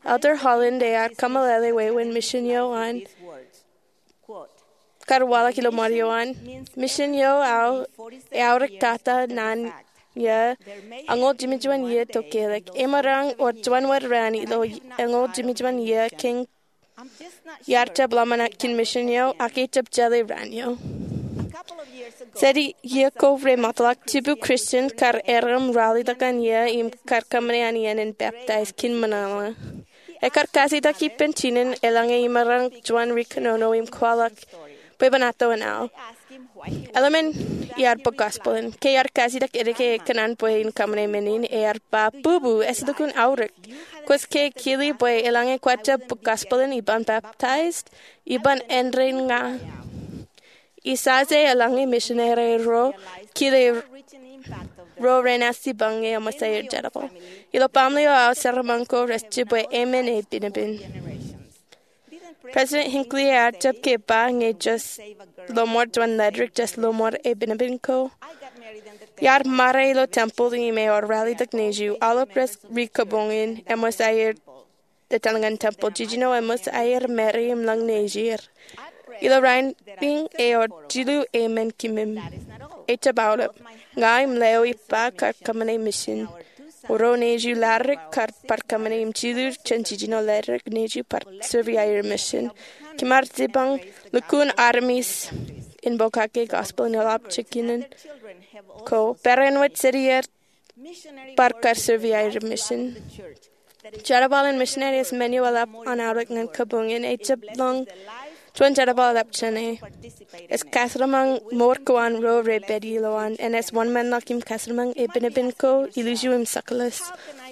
Elder Holland ear kōmeḷeḷe wāween misin eo an kar waḷọk ilo mour eo an. Misin eo aō eaorōk tata naan ia añoul jimjuon iiō Tokālik. Emaroñ wōt juon wōt raan ilo añoul jimjuon iiō kein iar jab ḷōmṇak kōn misin eo, ak ejab jeḷā raan eo. Jet iiō ko remootḷọk, jibu Christian kar erom ralitōk an ia im kar kōṃṃane an iien in baptize kōn ṃōṇōṇō. Ekar kajitak ippān jinen eḷaññe emaroñ juon ri-kōnono im kwaḷọk bwe bōtaab an aō. Eḷmen iar bōk gospel in. Ke iar kajitak edike ekōṇaan bwe en kōṃṃane men in, ear ba, "Bubu, ej lukkuun aorōk. Kwōj ke kile bwe eḷaññe kwōj jab bōk gospel in iban baptize, iban endein ña." Ijaje eḷaññe misineri ro kile ro renaaj jipañ ñe eṃōj aer jerbal. Ilo baaṃle eo aō, jeraaṃṃan ko rej jibwe emān epenpen. President Hinckley ear jab ke ba ñe jej lọmọọr juon ledik, jej lọmọọr epenpen ko. Iar ṃare ilo tempeḷ im ewōr ralitōk nejū, aolep rej ri-kōboñ in, eṃōj aer etal ñan tempeḷ. Jijino eṃōj aer ṃare im lōñ nejier. Ilo rainin ewōr jilu emān kōṃṃan. Ejab aolep. Ña im leo ippa kar kōṃṃane misin. Ruo nejū ledik kar bar kōṃṃane im jilu jān jijino ledik nejū bar serve aer misin. Kōm ar jipañ lukkuun armej in pokake gospel in eḷap jikin ko. Barāinwōt jet iiō bar kar serve aer misin. Jerbal in misineri ej men eo eḷap an aorōk ñan kōboñ in. Ejab lōñ juon jerbal eḷap jāne. Ej kajeraṃṃan mour ko an ro rej pād ilowaan. Enaaj wōnṃaanḷọk im kajeraṃṃan epenpen ko, ilju im jekḷaj.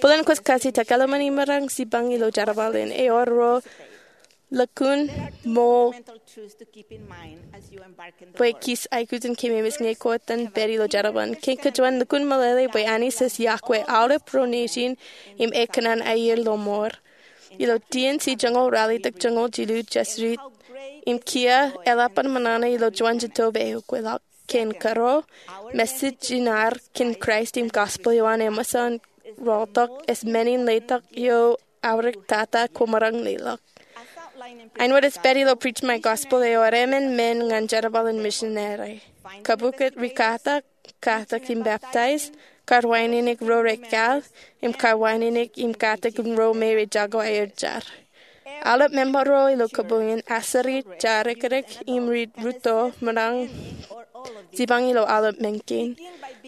Bōlen kwōj kajitak, eḷmen emaroñ jipañ ilo jerbal in. Ewōr ro lukkuun ṃool bwe kij aikuj in kememej ñe kwōj iten pād ilo jerbal in. Kein kajuon, lukkuun meḷeḷe bwe Anij ej iọkwe aolep ro nejin im ekōṇaan aier ilo mour. Ilo T N C joñoul ralitōk joñoul jilu, jej riit im kiiō eḷap an ṃōṇōṇō ilo juon jetōb eokweḷọk. Kein kōrā, message in ad kōn Kraist im gospel eo an eṃōj an rọọltok ej men in letok eo aorōk tata kwōmaroñ leḷọk. Āinwōt ej pād ilo Preach My Gospel, ewōr emān men ñan jerbal in misineri. Kabukot rikatak, katak im baptize, kawānōk ro rekāāl, im kawānōk im katak ro me rej jako aer jar. Aolep member ro ilo kōboñ in, aseri, jaredikdik im ri-rūtto, ṃōṇōṇō jipañ ilo aolep men kein.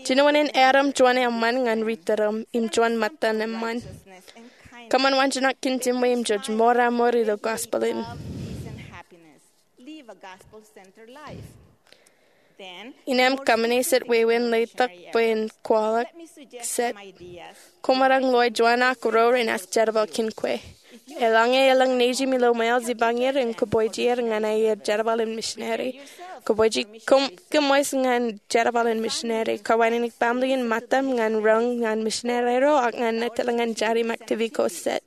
Jinoin erom juon eṃṃan ñan ri-tūrūṃ im juon ṃōttan eṃṃan. Kōṃṃan waanjoñak kōn jiṃwe im jej mour aṃour ilo gospel in. Innām kōṃṃane jet wāween letok bwe en kwaḷọk jet. Kwōmaroñ loe juon ak ruo renaaj jerbal kōn kwe. Eḷaññe elōñ nejiṃ ilo ṃweo, jipañ er im kōpooj er ñan aer jerbal in misineri. Kōpooj, kōm, kōṃṃan ñan jerbal in misineri. Kawānōk baaṃle in ṃōttaṃ ñan roñ ñan misineri ro ak ñan etal ñan jar im activity ko jet.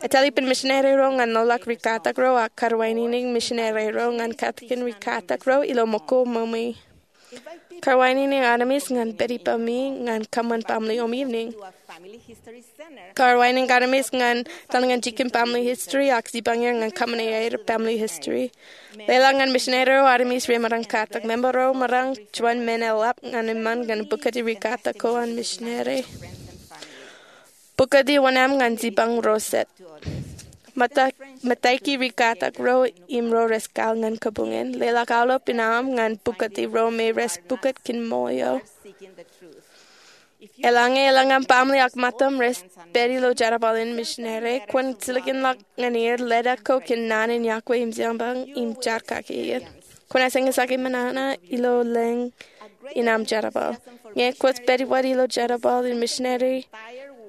Etal ippān misineri ro ñan lolọk rikatak ro ak kawānōk misineri ro ñan katakin rikatak ro ilo ṃōko ṃōṃi. Kawānōk armej ñan pād ippemi ñan kōṃṃan baaṃle eo im evening. Kar wāween armej ñan etal ñan jikin family history ak jipañ er ñan kōṃṃane aer family history. Leḷọk ñan misineri ro armej remaroñ katak. Member ro maroñ juon men eḷap ñan eṃṃan ñan bukoti rikatak ko an misineri. Bukoti wōṇāān ñan jipañ ro jet. Mata-, mataiki rikatak ro im ro rej kwaḷọk ñan kabuñ in. Leḷọk aolep in aṃ ñan bukoti ro me rej bukot kōn ṃool eo. Eḷaññe elōñ aṃ baaṃle ak ṃōttaṃ rej pād ilo jerbal in misineri, kwōn jilkinḷọk ñan er leta ko kōn naan in yokwe im jeḷā im jar kake er. Kwōnaaj eñjake ṃōṇōṇō ilo lōñ in aṃ jerbal. Ñe kwōj pād wōt ilo jerbal in misineri,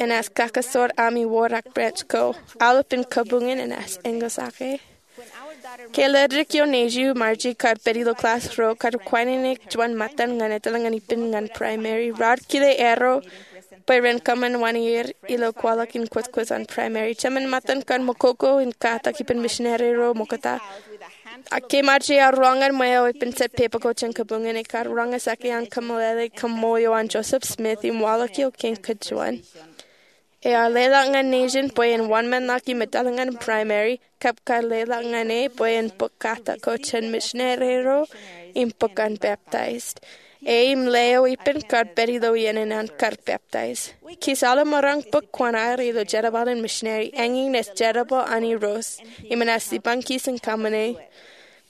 enaaj kakasoor aṃ iwōr ak branch ko. Aolep in kabuñ in enaaj eñjake. Ke ledik eo nejū Marji kar pād ilo class ro kar kwainene juon ṃōttan ñan etal ñan ippān ñan primary, raar kile erro bwe ren kōṃṃan wōṇāer ilo kwaḷọk in kwōjkwōj an primary. Jemān ṃōttan kar ṃōkoko in katak ippān misineri ro ṃokta. Ak ke Marji ear roñ ñan ṃweo ippān jet pepe ko jān kabuñ in, ekar roñjake an kōmeḷeḷe kaṃṃool eo an Joseph Smith im waḷọk eo kein kajuon. Ear leḷọk ñan nejin bwe en wōnṃaanḷọk im etal ñan primary, kab kar leḷọk ñan e bwe en bōk katak ko jān misineri ro im bōk an peptaij. E im ḷeo ippān kar pād ilo iien in an kar peptaij. Kōj aolep maroñ bōk kuṇaer ilo jerbal in misineri, eñin ej jerbal an Irooj, im enaaj jipañ kōj in kōṃṃane.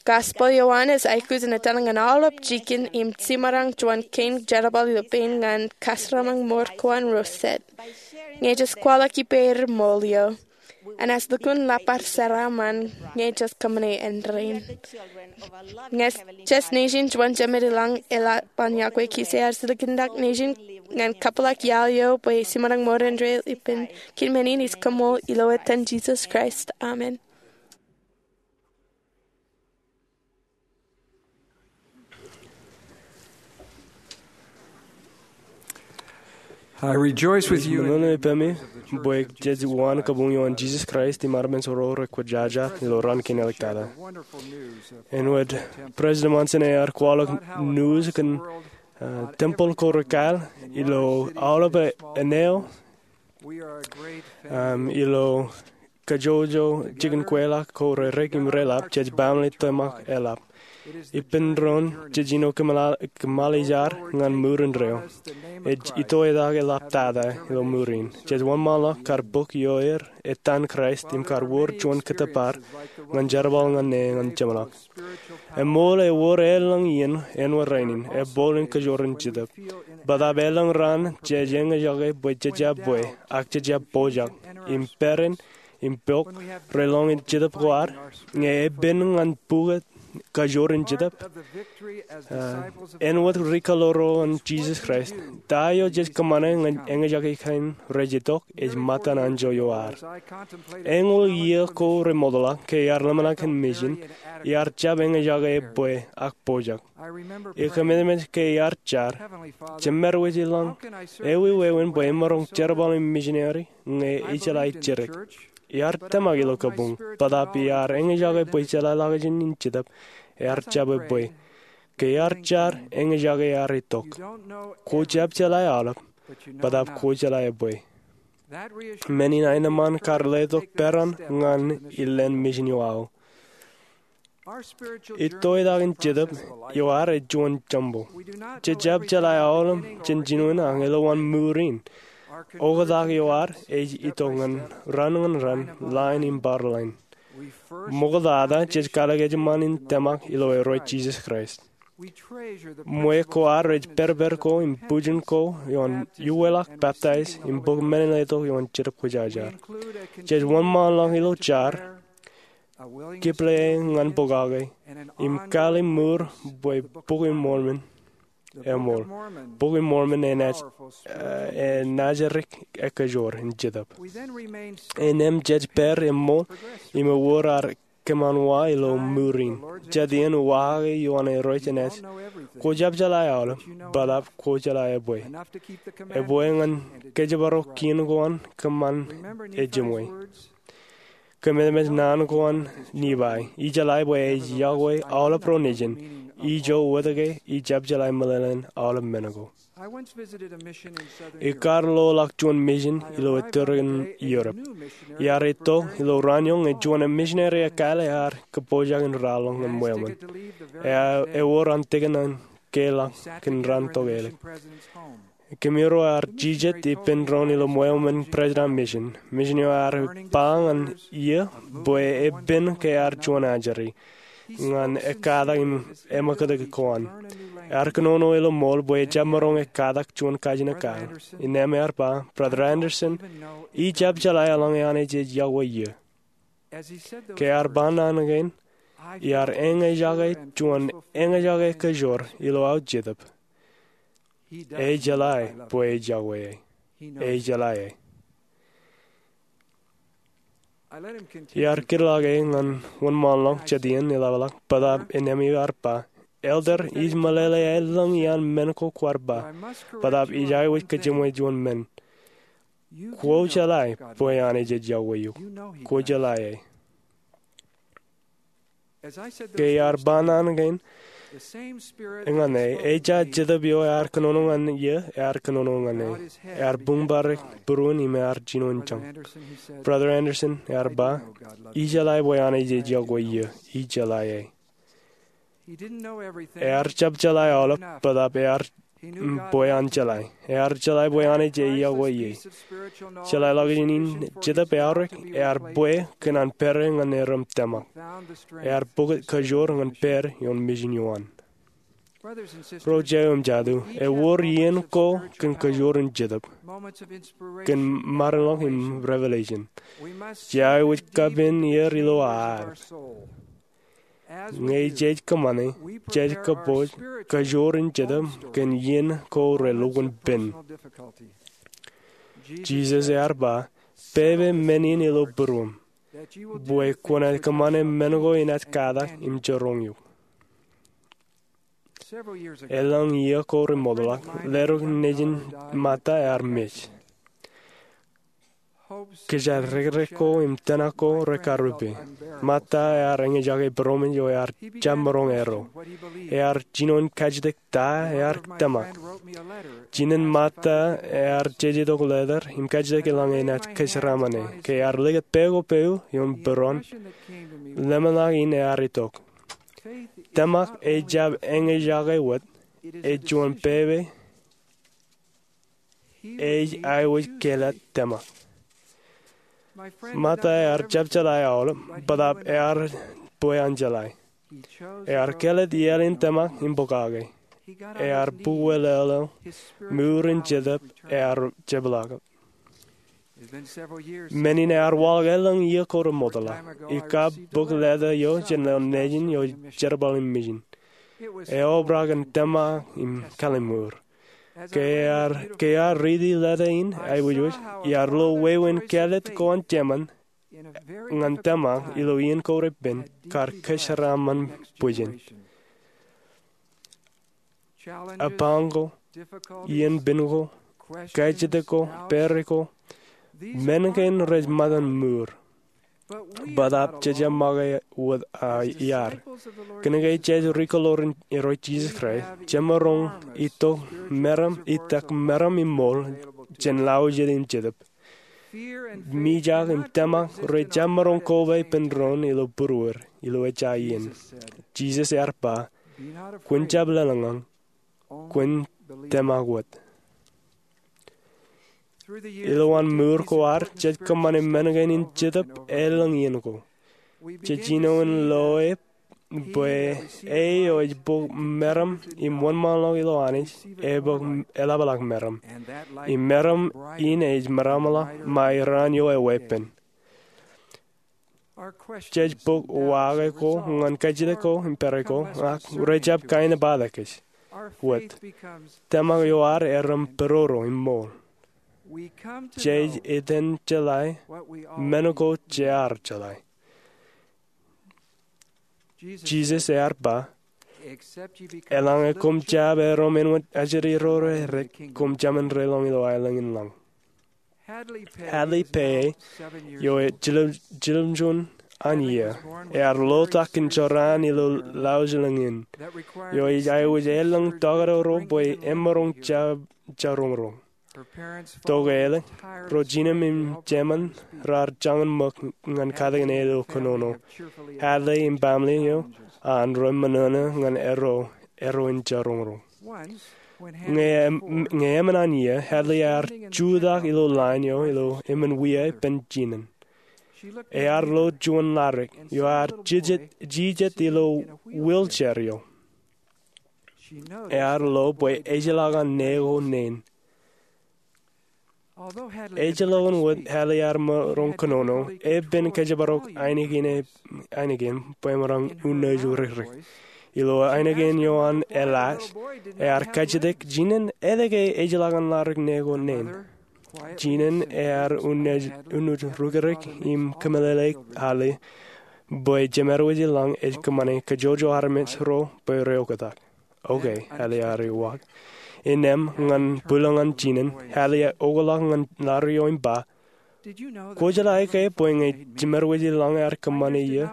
Gospel eo an ej aikuj in etal ñan aolep jikin im jiṃṃaroñ juon kein jerbal ilo pein ñan kasrōṃṃan ṃōr ko an ro jet. Ñe jej kwaḷọk ippāer ṃool eo, enaaj lukkuun labar jeraaṃṃan ñe jej kōṃṃane āindein. Ñe jej nejin juon Jemān ilañ eḷap an yokwe, kōj ear jilkinḷọk nejin ñan kōpeḷḷọk iaḷ eo bwe jiṃṃaroñ ṃōr āindein. Ippān kōn men in ij koṃṃool ilo etan Jisōs Kraist. Amen. I rejoice with you in ṃōṇōṇō ippemi bwe jej waan kabuñ eo an Jisōs Kraist im armej ro rekwōjarjar ilo raan kein āliktata. Āinwōt President Monson ear kwaḷọk news kōn, uh, tempeḷ ko rekāāl ilo aolep eo, um, ilo kajjojo jikin kweilọk ko rerek im reḷap, jej baaṃle tōmak eḷap. Ippān doon jej āinwōt kōṃṃan, kōṃṃan jar ñan mour indeeo. Ej itoitak eḷaptata ilo mour in. Jej wōnṃaanḷọk kar bōk ioer etan Kraist im kar wōr juon kōttōpar ñan jerbal ñan e ñan jeṃḷọk. Eṃool ewōr elōñ iien āinwōt rainin, ebooḷ in kajoor in Jetōb. Bōtaab elōñ raan jej eñjake bwe jej jab bwe, ak jej jab pojak, im peran, im pok, relōñ in Jetōb ko ad, ñe epen ñan bukot kajoor in Jetōb. Uh, āinwōt ri-kaḷoor ro an Jisōs Kraist, ta eo jej kōṃṃane ñan eñjake kain rej itok ej ṃōttan anjọ eo ad. Eñoul iiō ko remootḷọk ke iar ḷōmṇak kōn mission, iar jab eñjake bwe ak pojak. Ikōmemeej ke iar jar, Jemād wōj ilañ, ewi wāween bwe emaroñ jerbal im missionary ñe ijeḷā jidik? Iar tōmak ilo kabuñ, bōtaab iar eñjake bwe ijeḷā ḷọkjeṇ in Jetōb, ear jab bwe. Ke iar jar, eñjake ear itok. Kwō jab jeḷā aolep, bōtaab kwō jeḷā ebwe. Men in aenōṃṃan kar letok peran ñan ilān mission eo aō. Itoitak in Jetōb eo ad ej juon jumbo. Jej jab jeḷā aolep jān jinoin ak ilo wōn mour in. Oktak eo ad ej itok ñan raan ñan raan, line im bar line. Ṃoktata jej kalōk ejṃṃan in tōmak ilo Irooj Jisōs Kraist. Ṃwe ko ad rej pedped ko im bwijin ko ioon uweḷọk, peptaij, im bōk men in letok ioon Jetōb Kwōjarjar. Jej wōnṃaanḷọk ilo jar, kipleae ñan pokake, im kali mour bwe Bok in Mormon eṃool. Bok in Mormon enaaj, eh, enaaj dik ekajoor in Jetōb. Innām jej pād eṃool im ewōr ad kōṃanwa ilo mour in. Jet iien uwaake ioon Irooj enaaj, kwō jab jeḷā aolep, bōtaab kwō jeḷā ebwe. Ebwe ñan kōjparok kien ko an kōṃṃan ejimwe. Kōmemeej naan ko an Nephi, ijeḷā bwe ej yokwe aolep ro nejin, ijo wōt ke ij jab jeḷā meḷeḷein aolep men ko. Ikar loḷọk juon mission ilo ettōr in Europe. Iar itok ilo raan eo ñe juon misineri ekkā ear kōpooj in raorōk ñan ṃweo ṃōn. Ewōr an tikin an keḷọk kōn raan tokālik. Kōmro ear jijet ippān doon ilo ṃweo ṃōn president mission. Mission eo ear ba ñan iiō bwe epen ke ear juon ajri ñan ekkatak im eṃōkōtōk ko an. Ear kōnono ilo ṃool bwe ejjab maroñ ekkatak juon kajin ekkā. Innām ear ba, Brother Andersen, ij jab jeḷā eḷaññe Anij ej yokwe eō. Ke ear ba naan kein, iar eñjake juon eñjake kōjoor ilo aō jetōb. Ej jeḷā bwe ej yokwe e. Ej jeḷā e. Iar kūrḷọk e ñan wōnṃaanḷọk jet iien eḷapḷọk bōtaab innām ear ba, Elder, ij meḷeḷe elōñ iaan men ko kwaar ba, bōtaab ij aikuj kōjeṃwe juon men. Kwō jeḷā bwe Anij ej yokwe eok. Kwō jeḷā e. Ke iar ba naan kein ñan e, ejja jetōb eo ear kōnono ñan iiō ear kōnono ñan e. Ear buñbare būruon im ear jino in jañ. Brother Andersen ear ba, ij jeḷā bwe Anij ej yokwe eō. Ij jeḷā e. Ear jab jeḷā aolep bōtaab ear bwe an jeḷā. Ear jeḷā bwe Anij ej yokwe e. Jeḷāḷọkjeṇ in jetōb eaorōk ear bwe kōn an pere ñan erom tōmak. Ear bōk kōjoor ñan pād ioon mission eo an. Ro jeiū im jatū, ewōr iien ko kōn kōjoor in jetōb, kōn maroñḷọk im revelation. Jej aikuj kapen er ilo ad. Ñe jej kōṃṃane, jej kōpooj kōjoor in jetōb kōn iien ko relukkuun pen. Jisōs ear ba, pepe men in ilo būruōm, bwe kwōnaaj kōṃṃane men ko inaaj katak im jiroñ eok. Elōñ iiō ko remootḷọk, leddik nejin Martha ear mej. Kōjatdikdik ko im tōmak ko rekarupe. Martha ear eñjake būroṃōj eo ear jab maroñ erro. Ear jino in kajjitōk ta ear tōmak. Jinen Martha ear jeje tok letter im kajjitōk eḷaññe enaaj kōjeraaṃṃan e. Ke ear likūt pā ko pāu ioon būruon, lemñoul in ear itok. Tōmak ejjab eñjake wōt, ej juon pepe. Ej aikuj kāālōt tōmak. Martha ear jab jeḷā aolep, bōtaab ear bwe an jeḷā. Ear kāālōt iaḷ in tōmak im pokake. Ear bukwe leḷọk, mour in jetōb ear jepḷaakūt. Men in ear waḷọk elōñ iiō ko remootḷọk. Ikab bōk letter eo jān lewōj nejin eo jerbal in mission. Eobrak in tōmak im kālmour. Ke ear, ke ear riiti letter in aikuj wōj, iar lo wāween kāālōt ko an Jemān ñan tōmak ilo iien ko repen kar kōjeraaṃṃan bwijin. Apañ ko, iien pen ko, kajjitōk ko, pere ko, men kein rej ṃōttan mour. Bōtaab jej jab make wōt iar. Kōnke jej ri-kōḷoor in Irooj Jisōs Kraist, jemaroñ itok meram, itak meram im ṃool jān lọjet im jetōb. Mijak im tōmak rej jab maroñ koba ippān doon ilo būruer ilo ejja iien. Jisōs ear ba, kwōn jab lōḷñọñ, kwōn tōmak wōt. Ilowaan mour ko ad, jej kōṃṃane men kein in jetōb elōñ iien ko. Jej jino in loe bwe e eo ej bōk meram im wōnṃaanḷọk ilo Anij, ebōk eḷapḷọk meram. Im meram in ej meramḷọk ṃae raan eo eweeppān. Jej bōk waake ko ñan kajjitōk ko im pere ko, ak rej jab kaenōṃṃan kōj wōt. Tōmak eo ad erom pororo im ṃool. Jej iten jeḷā men ko jear jeḷā. Jisōs ear ba, eḷaññe koṃ jab erom āinwōt ajri ro redik, koṃ jab men relōñ ilo aelōñ in lañ. Hadley Peay, eo ej jiljilimjuon an iiō. Ear lotak in jorrāān ilo laujlōñ in eo ej aikuj elōñ tokdọro bwe emaroñ jab jaroñroñ. Tokālik, ro jinōm im jemān raar jañin ṃōk ñan katakin ilo kōnono. Hadley im baaṃle eo an rej ṃōṇōṇō ñan erro, erro in jaroñroñ. Ñe em-, ñe emān an iiō, Hadley ear jutak ilo line eo ilo emān wia ippān jinen. Ear lo juon ladik eo ear jijet, jijet ilo wheelchair eo. Ear lo bwe ejjeḷọk an ṇe ko neen. Ejjeḷọkin wōt Hadley ear maroñ kōnono, epen kōjparok ainikien, ainikien bwe emaroñ unaaj rikrik. Ilo ainikien eo an eḷaaj, ear kajjitōk jinen etke ejjeḷọk an ladik ṇe ko neen. Jinen ear unaaj, unaaj rikrik im kōmeḷeḷeik Hadley bwe Jemedwōj ilañ ej kōṃṃane kajjojo armej ro bwe reoktak. Okay, Hadley ear uwaak. Innām ñan bwilōñ an jinen, Hadley eokḷọk ñan ladik eo im ba, "Kwōjeḷā ke bwe ñe Jemedwōj ilañ ear kōṃṃane iiō,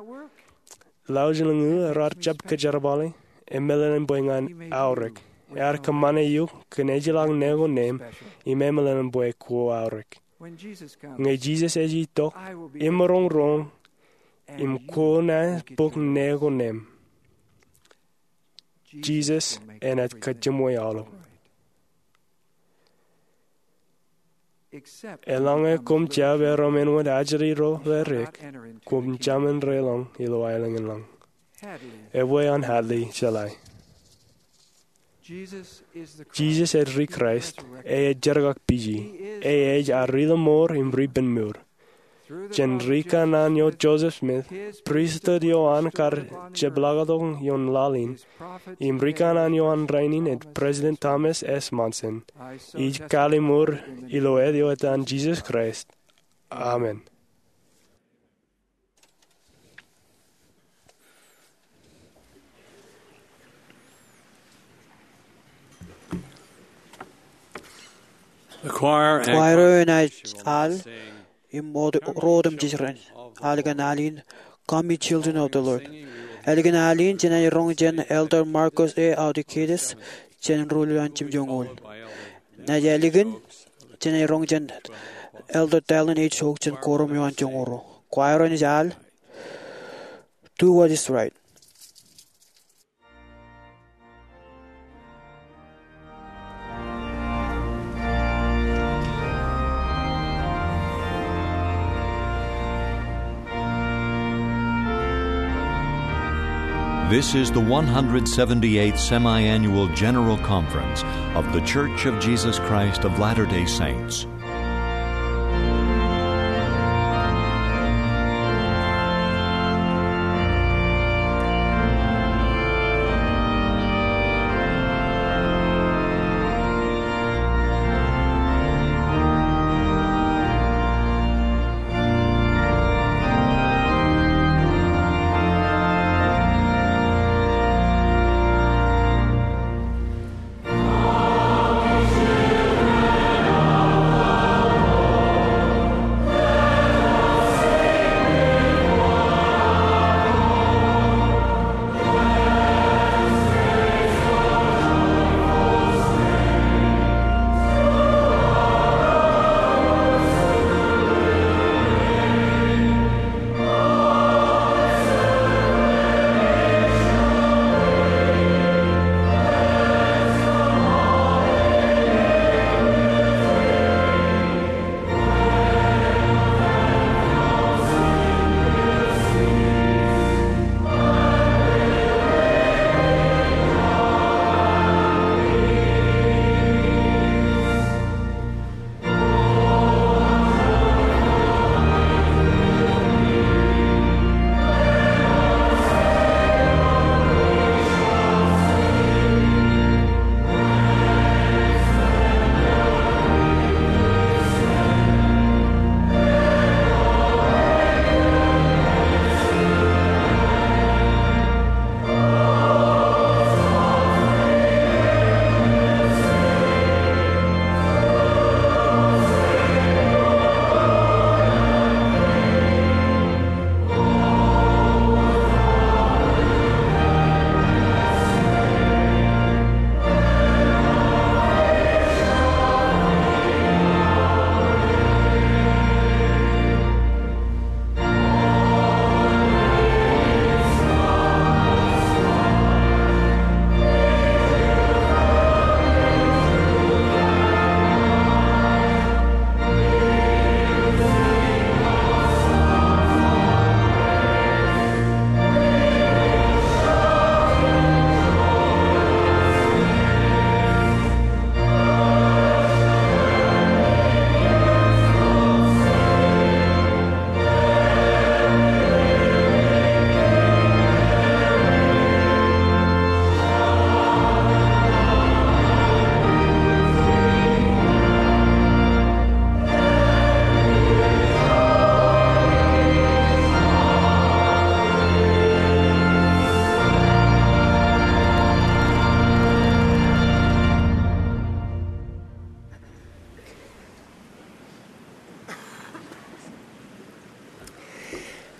laujlōñ eo raar jab kōjerbale, emeḷeḷein bwe ñan aorōk. Ear kōṃṃane eok kōn ejjeḷọk ṇe ko neen, im emeḷeḷein bwe kwō aorōk. Ñe Jisōs ej itok, emaroñ roñ im kwō naaj bōk ṇe ko neen." Jisōs enaaj kajjimwe aolep. Eḷaññe koṃ jab erom āinwōt ajri ro ḷe dik, koṃ jāmin relōñ ilo aelōñ in lañ. Ebwe an Hadley jeḷā. Jisōs ej Kraist, e ej jerkakpiji, e ej ad Ri-lọmọọr im Ri-penmour. Jān ri kanaan eo Joseph Smith, pristut eo an kar jepḷaaktok ioon laḷ in, im ri kanaan eo an rainin ej President Thomas S. Monson, ij kalliṃur ilo ālikin etan Jisōs Kraist. Amen. The choir and Kwaer eo enaaj al im ro otemjej ren al kōn al in, Come, Ye Children of the Lord. Ālikin al in jenaaj roñ jān Elder Marcos A. Audikidis jān ruo ḷọk an jimjuonñoul. Naaj ālikin jenaaj roñ jān Elder Dallin H. Oaks jān korom eo an joñoul ruo. Kwaer eo enaaj al, Do What Is Right. This is the one hundred seventy-eighth Semiannual General Conference of The Church of Jesus Christ of Latter-day Saints.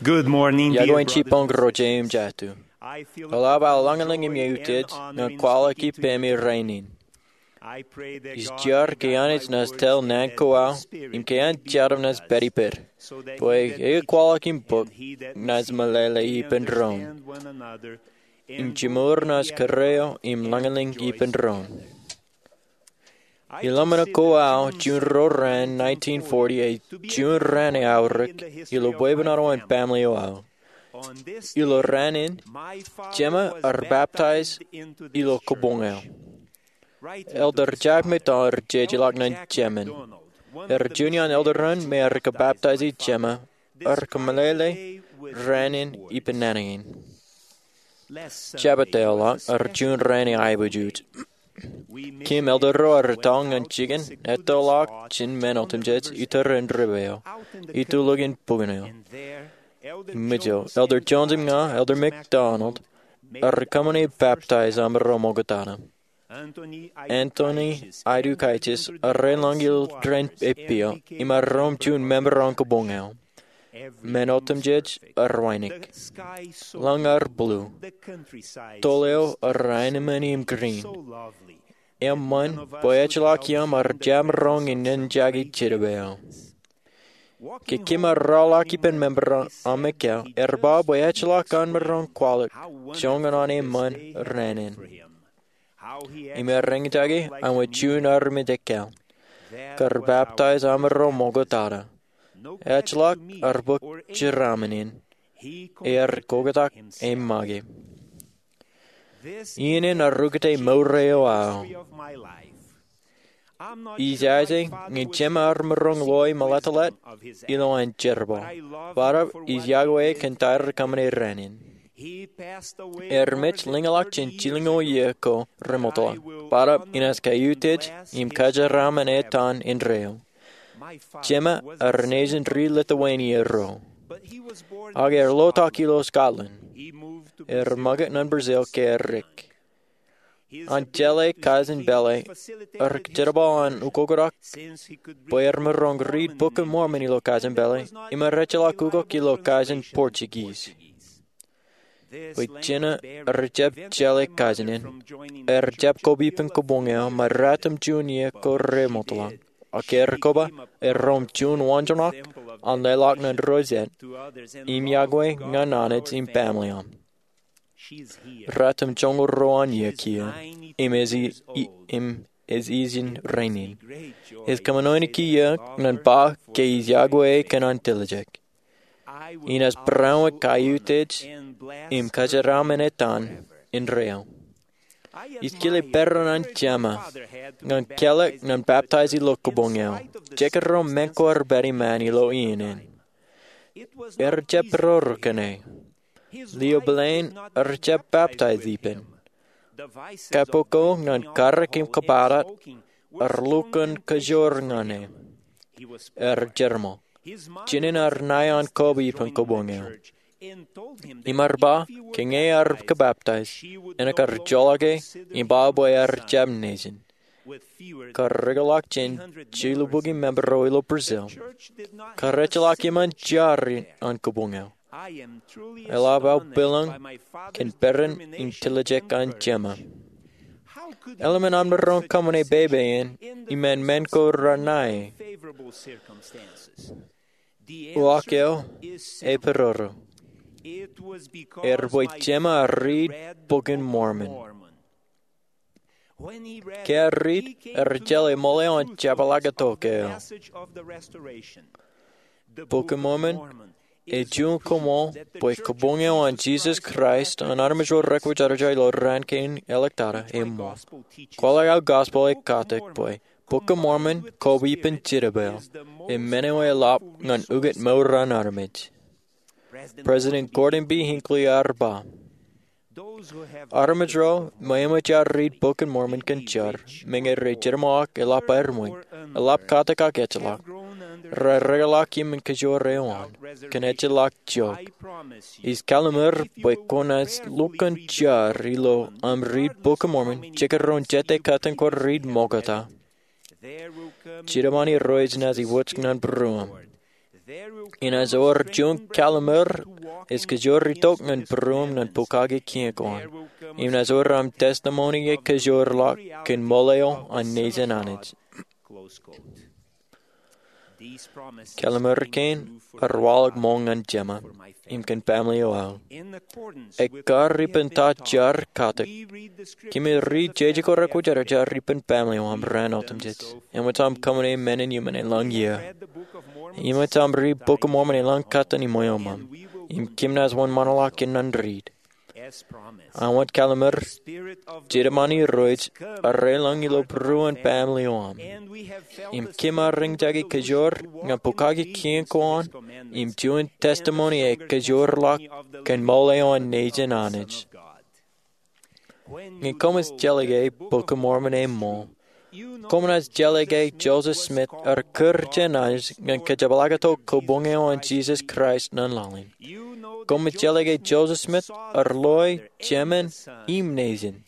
Good morning, dear brothers and sisters. Iọkwe in jibboñ ro jeiū im jatū. I feel a privilege to join you here on this evening. Eḷap aō lañlōñ im eutiej ñan kwaḷọk ippemi rainin. I pray that God will guide you and bless you. Ij jar ke Anij naaj tōl naan ko aō im ke an jeraṃ naaj pād ippād, bwe eaar kwaḷọk im bōk naaj meḷeḷe ippān doon im jiṃor naaj kōrā eo im lañlōñ ippān doon. Ilōmṇak ko aō juon ro raan nineteen forty, ej juon raan eaorōk ilo bwebwenato an baaṃle eo aō. Ilo raan in, jema ear baptize ilo kōboñ eo. Elder Jack McDonald ej jejeḷọk ñan jemen. Ear juon iaan elder ro me ear kōbaptaisi jema, ear kōmeḷeḷe raan in ippān naan in. Jabōt eo ḷọk ear juon raan eaiboojoj. Kōm elder ro ear ettoḷọk ñan jikin ettoḷọk jān men otemjej iturin river eo, itulōk in bukun eo. Im ṃōj eo, Elder Jones im ña, Elder McDonald, ear kōṃṃane baptize amaroñ ṃoktata. Anthony Aidukaitis ear eḷaññe ilo tōre in eppio im ear ro im juon member an kōboñ eo. Men otemjej ear wānōk. Lañ ear blue. Toḷ eo ear anemone im green. Eṃṃan bwe ejjeḷọk iaam ear jab roñ in enjake jidik eo. Ke kōm ar rọọlḷọk ippān member aṃ ekkā, ear ba bwe ejjeḷọk an maroñ kwaḷọk joñan an eṃṃan raan in. Im ear eñjake aṃ wōt juon armej ekkā. Kar baptize amaroñ ṃoktata. Ejjeḷọk ear bōk jeraaṃṃan in. Ear koktak im make. Iien in ear ukōte mour eo aō. Ij aje ñe jema ear maroñ loe im eḷḷātḷāt ilo an jerbal. Barāinwōt ij iọkwe e kōn ta ear kōṃṃane raan in. Ear mej lōñḷọk jān jilñoul iiō ko remootḷọk. Barāinwōt enaaj kaiutiej im kajeraaṃṃan etan indeeo. Jema ear nejin ri Lithuania ro. Ak ear lotak ilo Scotland. Ear make ñan Brazil ke erik. An jeḷā kaijin pālle, ear jerbal an ukoktak bwe ear maroñ riit Bok in Mormon ilo kaijin pālle, im ear ejjeḷọk ukok ilo kaijin Portuguese. Bwe jema ear jab jeḷā kaijin in, ear jab koba ippān kōboñ eo, im ear ratimjuon iiō ko remootḷọk. Ak ke ear koba, ear ro im juon waanjoñak an lelọk ñan Rosette, im iọkwe ñan Anij im baaṃle eo. Ratimjuon ruo an iiō kiiō, im ej i-, i-, im ej ijin rainin. Ej kōṃṃani kiiō ñan ba ke ij iọkwe e kōn an tiljek. Inaaj barāinwōt kaiutiej im kajeraaṃṃan etan indeeo. Ij kile peran an jema ñan kelọk ñan baptize ilo kōboñ eo. Jekdọọn men ko ear pād iṃaan ilo iien in. Ear jab peroro kōn e. Leo Blain ear jab baptize ippān. Kapo ko ñan karōk im kōbatat ear lukkuun kajoor ñan e. Ear jerbal. Jinen ear ṇae an koba ippān kōboñ eo. Im ear ba, ke ñe ear kōbaptize, enaaj kar joḷọk e, im ba bwe ear jab nejin. Kar ekḷọk jān jilu bukwi member ro ilo Brazil, kar ejjeḷọk iṃaan jar an kōboñ eo. Eḷap aō bwilōñ kōn peran in tiljek an jema. Eḷmen an maroñ kōṃṃane pepe in iṃaan men ko renae? Uwaak eo eperoro. Ear bwe jema ear riit Bok in Mormon. Ke ear riit, ear jeḷā ṃool eo an jepḷaaktok eo. Bok in Mormon ej juon koṃṃool bwe kōboñ eo an Jesus Christ an armej ro rekwōjarjar ilo raan kein ḷọk tata eṃṃool. Kwaḷọk aō gospel ekatak bwe Bok in Mormon, koba ippān jidik eo, im men eo eḷap ñan ukōt mour an armej. President Gordon B. Hinckley ear ba, armej ro me eṃōj aer riit Bok in Mormon kōn jar, meñe rej jeṃḷọk eḷap aer ṃōj, eḷap katak ak ejjeḷọk, raar ekḷọk iṃōn kajoor eo an, kōn ejjeḷọk jook. Ij kallimur bwe kwōnaaj lukkuun jar ilo aṃ riit Bok in Mormon, jekdọọn jete kōttan kwōj riit ṃokta. Jitōb an Irooj enaaj iwōj ñan būruōṃ. Inaaj wōr juon kalliṃur ej kōjorritok ñan būruōṃ ñan bukkake kien ko an. Im inaaj wōr aṃ testimony ej kōjorḷọk kōn ṃool eo an nejin Anij. Kalliṃur kein ar waḷọk ṃool ñan jema im kōn family eo aō. Ekkar ippān ta jar katak, kōmij riit jeje ko rekwōjarjar ippān family eo aṃ raan otemjej. Eṃōj aṃ kōṃṃane men in iṃōn elōñ iiō. Eṃōj aṃ riit Bok in Mormon elōñ kōttan iṃōṃ. Im kōm naaj wōnṃaanḷọk kōn an riit. Āinwōt kalliṃur, Spirit of the Lord Irooj arrelōñ ilo būruon family eo aṃ. Im kōm ar eñjake kōjor ñan bukkake kien ko an im juon testimony ej kōjorḷọk kōn ṃool eo an nejin Anij. Ñe koṃij jeḷā ke Bok in Mormon eṃṃool, koṃ naaj jeḷā ke Joseph Smith ear kūr jān Anij ñan kōjepḷaaktok kabuñ eo an Jisōs Kraist ñan laḷ in. Koṃij jeḷā ke Joseph Smith ear loe Jemān im Nejin.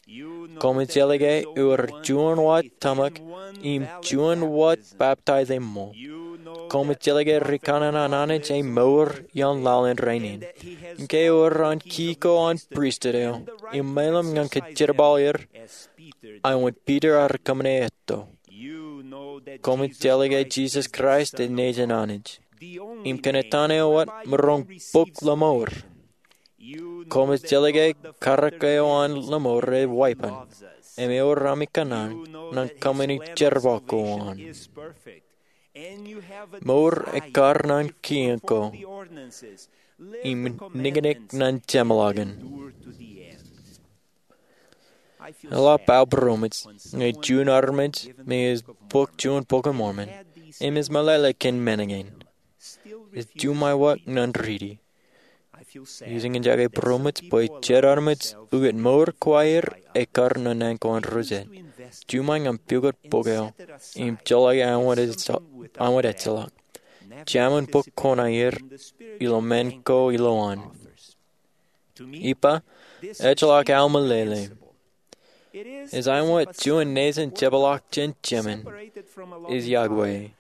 Koṃij jeḷā ke ear juon wōt tōmak im juon wōt baptize eṃṃool. Koṃij jeḷā ke rikaṇan an Anij ej mour ioon laḷ in rainin. Ke eor an key ko an pristut eo im meḷeḷe ñan kōjerbal er, āinwōt Peter ear kōṃṃane etto. Koṃij jeḷā ke Jisōs Kraist ej nejin Anij. Im kōn etan eo wōt maroñ bōk lōṃour. Koṃij jeḷā ke karōk eo an lōṃour ej wāween. Im eor ami kōṇaan ñan kōṃṃani jerbal ko an. Mour ekkar ñan kien ko im niknik ñan jeṃḷọkin. Eḷap aō būroṃōj ñe juon armej me ej bōk juon Bok in Mormon im ej meḷeḷe kōn men kein. Ej juṃae wōt ñan riiti. Ij eñjake būroṃōj bwe jet armej ukōt mour ko aer ekkar ñan naan ko an rijjien. Juṃae ñan pukot bok eo im joḷọk āinwōt ejjeḷọk. Jaṃin bōk koṇaer ilo men ko ilowaan. Ippa, ejjeḷọk aō meḷeḷe. Ej āinwōt juon nejin jepḷaak jān Jemān ej yokwe.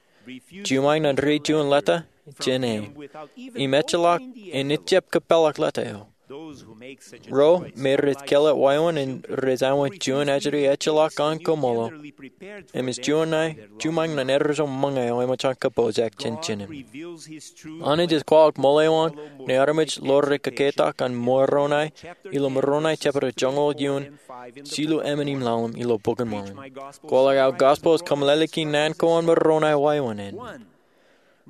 Juṃae ñan riit juon leta jān e. Im ejjeḷọk en ejjab kōpeḷḷọk leta eo. Ro me rej kelọt wāween in rej āinwōt juon ajri ejjeḷọk an koṃṃool eo. Im ej juon ṇe, juṃae ñan erro eo ṃōñā eo eṃōj an kōpooj ak jān jinen. Anij ej kwaḷọk ṃool eo an ñe armej ḷoore kōketak an Moroni ilo Moroni jepta joñoul eoon, jilu emān im ḷalem ilo Bok in Mormon. Kwaḷọk aō gospel ej kōmeḷeḷeiki naan ko an Moroni wāween in.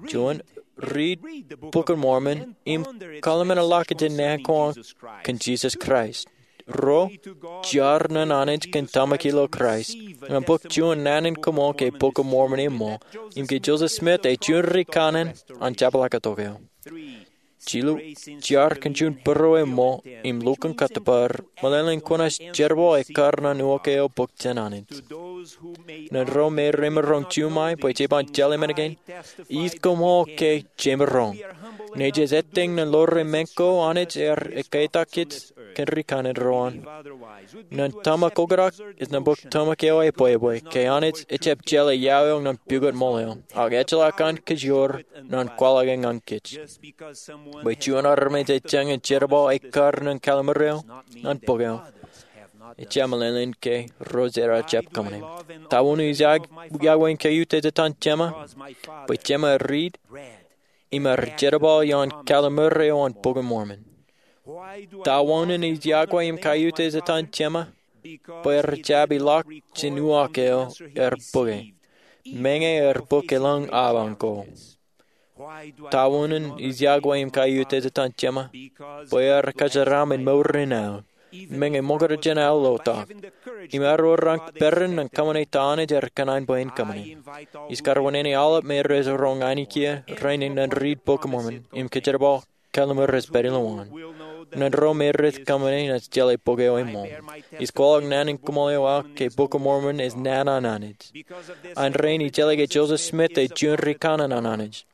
Juon, riit Bok in Mormon im kalimjek ḷọk jān naan ko an kōn Jisōs Kraist. Ruo, jar ñan Anij kōn tōmak ilo Kraist ñan bōk juon naan in koṃṃool ke Bok in Mormon eṃṃool im ke Joseph Smith ej juon rikaṇan an jepḷaaktok eo. Jilu, jar kōn juon būruō eṃṃool im lukkuun kōttōpar meḷeḷein kwōnaaj jerbal ekkar ñan uwaak eo bōk jān Anij. Ñan ro me remaroñ juṃae bwe je ban jeḷā men kein, ij koṃṃool ke jemaroñ. Ñe jej ettōñ ñan ḷoore men ko Anij ear ekketak kōn rikaṇan ro an. Ñan tōmak oktak, ej naan bōk tōmak eo ebwebwe ke Anij ejjab jeḷā iaw eo ñan pukot ṃool eo, ak ejjeḷọk an kōjro ñan kwaḷọke ñan kōj. Bwe juon armej ej jañin jerbal ekkar ñan kalliṃur eo ñan bok eo, ejjab meḷeḷein ke ro jera jab kōṃṃane. Ta wōn ij yokwe in kaiuj ej etan Jema? Bwe Jema riit im ear jerbal ioon kalliṃur eo an Bok in Mormon. Ta wōn ij yokwe im kaiuj ej etan Jema? Bwe ear jab ilọk jān uwaak eo ear bōke. Meñe ear bōk elōñ aban ko. Ta wōn ij yokwe im kaiuj ej etan Jema? Bwe ear kōjeraaṃṃan mour in aō. Meñe ṃōkaj jān aō ḷotak. Im ear wōr an peran ñan kōṃṃane ta Anij ear kōṇaan bwe en kōṃṃane. Ij karuwaineneik aolep me rej roñ ainikien rainin ñan riit Bok in Mormon im kōjerbal kalliṃur ej pād ilowaan. Ñan ro me rej kōṃṃane, inaaj jeḷā bok eo eṃṃool. Ij kwaḷọk naan in koṃṃool eo aō ke Bok in Mormon ej naan an Anij. An rainin ij jeḷā ke Joseph Smith ej juon rikaṇan an Anij.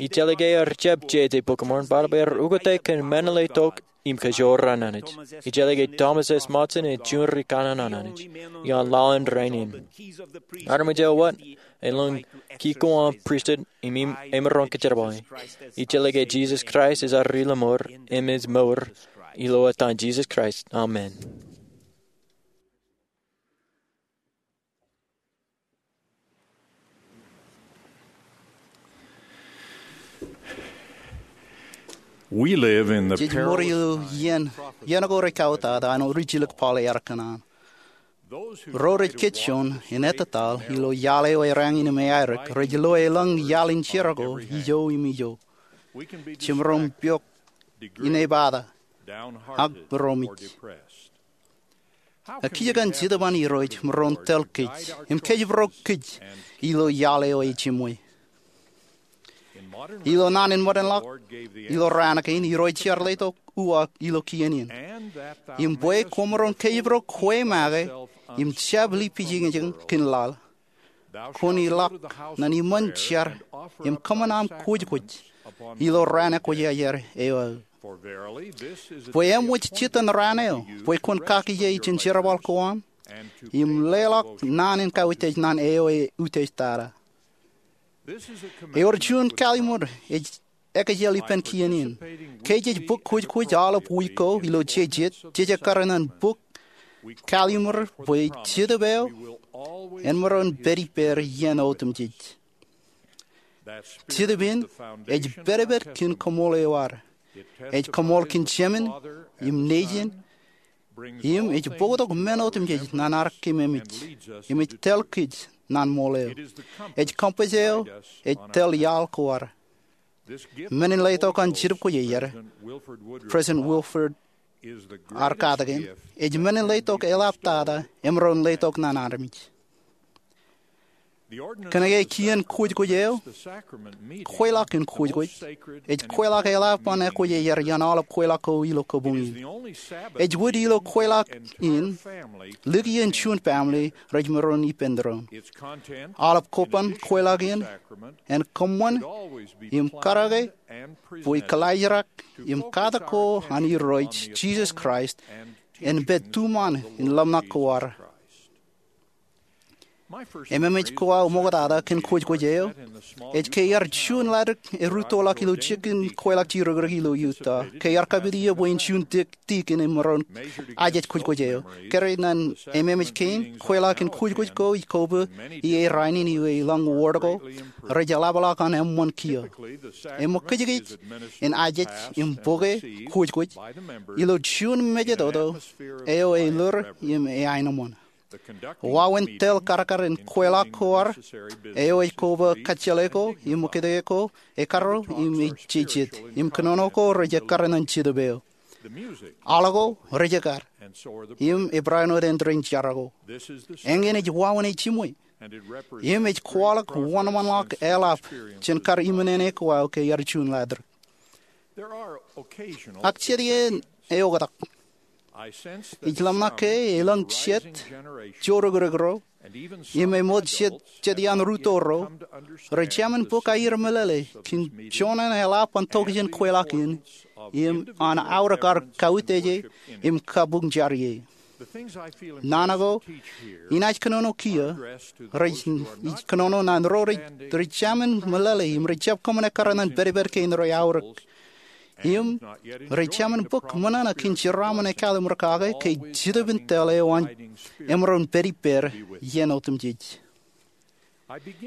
Ij jeḷā ke ear jab jeje Bok in Mormon, bōtab ear ukōte kōn men eo tok im kōjro an Anij. Ij jeḷā ke Thomas S. Monson ej juon rikaṇan an Anij ioon laḷ in rainin. Armej eo wōt elōñ kik ko aṃ pristut im emaroñ kōjerbale. Ij jeḷā ke Jisōs Kraist ej ad Ri-lọmọọr im ej mour. Ilo etan Jisōs Kraist, amen. Jej ṃōr ilo iien, iien ko rej kautata an rijilōk Paul ear kōṇaan. Ro rej kōjjoon in ettataḷ ilo iaḷ eo ereañin im eaerōk rej lo elōñ iaḷ in jerọko ijo im ijo. Jemaroñ piọk in epata ak ro mej. Ekijjeen Jetōb an Irooj maroñ tōl kōj im kōjparok kōj ilo iaḷ eo ej jiṃwe. Ilo naan in ṃōdenḷọk ilo raan kein, Irooj ear letok uwaak ilo kien in. Im bwe kwōmaroñ kōjparok kwe make im jab lipijñiñ kōn laḷ, kwōn ilọk ñan iṃōn jar im kōṃṃan aṃ kwōjkwōj ilo raan ekwōjarjar eo aō. Bwe eṃōj jitōn raan eo bwe kwōn kakkije jān jerbal ko aṃ im leḷọk naan in kautiej ñan eo eutiej tata. Ewōr juon kalimur ej ekjel ippān kien in. Ke jej bōk kwōjkwōj aolep wiik ko ilo jejet, jej ekkar ñan bōk kalimur bwe Jetōb eo en maroñ pād ippāer iien otemjej. Jetōb in ej pedped kōn koṃṃool eo ad. Ej koṃṃool kōn Jemān im Nejin, im ej bōktok men otemjej ñan ad kememej, im ej tōl kōj ñan ṃool eo. Ej compass eo ej tōl iaḷ ko ad. Men in letok an Jetōb Kwōjarjar, President Wilford R. Cadigan, ej men in letok eḷaptata emaroñ letok ñan armej. Kōnke kien kwōjkwōj eo, kweilọk in kwōjkwōj, ej kweilọk eḷap an ekwōjarjar iaan aolep kweilọk ko ilo kabuñ in. Ej wōt ilo kweilọk in likien juon family rej maroñ ippān doon. Aolep koban kweilọk in en kōṃṃan im karōke bwe kalijrak im katak ko an Irooj Jisōs Kraist en pād tuṃaan in ḷōmṇak ko ad. Ememej ko aō ṃoktata kōn kwōjkwōj eo ej ke iar juon ḷaddik erūttoḷọk ilo jikin kweilọk jidikdik ilo Utah. Ke iar kapit iiō bwe en juon deacon emaroñ ajej kwōjkwōj eo. Kōrā ñan ememej kein, kweilọk in kwōjkwōj ko ij koba ie rainin iwe elōñ ward ko rej eḷapḷọk an eṃṃan kiiō. Eṃōkajkōj in ajej im bōke kwōjkwōj ilo juon mejatoto eo eḷoor im eaenōṃṃan. Wāween tōl karkar in kweilọk ko ad eo ej koba kajjeḷe ko im ṃōkajkōj ko ekkar im ej jejet, im kōnono ko rej ekkar ñan Jetōb eo. Aḷ ko rej ekkar im ebarāinwōt āindein jar ko. Eñin ej wāween ej jiṃwe im ej kwaḷọk wōnṃaanḷọk eḷap jān kar iṃōn āne ko aō ke iar juon ḷaddik. Ak jet iien eoktak ij ḷōmṇak ke elōñ jet joorōkrōk ro im eṃoot jet iaan rūtto ro rej jemān bōk aier meḷeḷe kōn joñan eḷap an tokjān kweilọk in im an aorōk ad kautiej e im kabuñ jar ie. Naan ko inaaj kōnono kiiō rej, ij kōnono ñan ro rej, rej jemān meḷeḷe im rej jab kōṃṃan ekkar ñan pedped kein rej aorōk im rej jemān bōk ṃōṇōṇō kōn jeraaṃṃan ekkālimur kake ke Jetōb in tōl eo an emaroñ pād ippāer iien otemjej.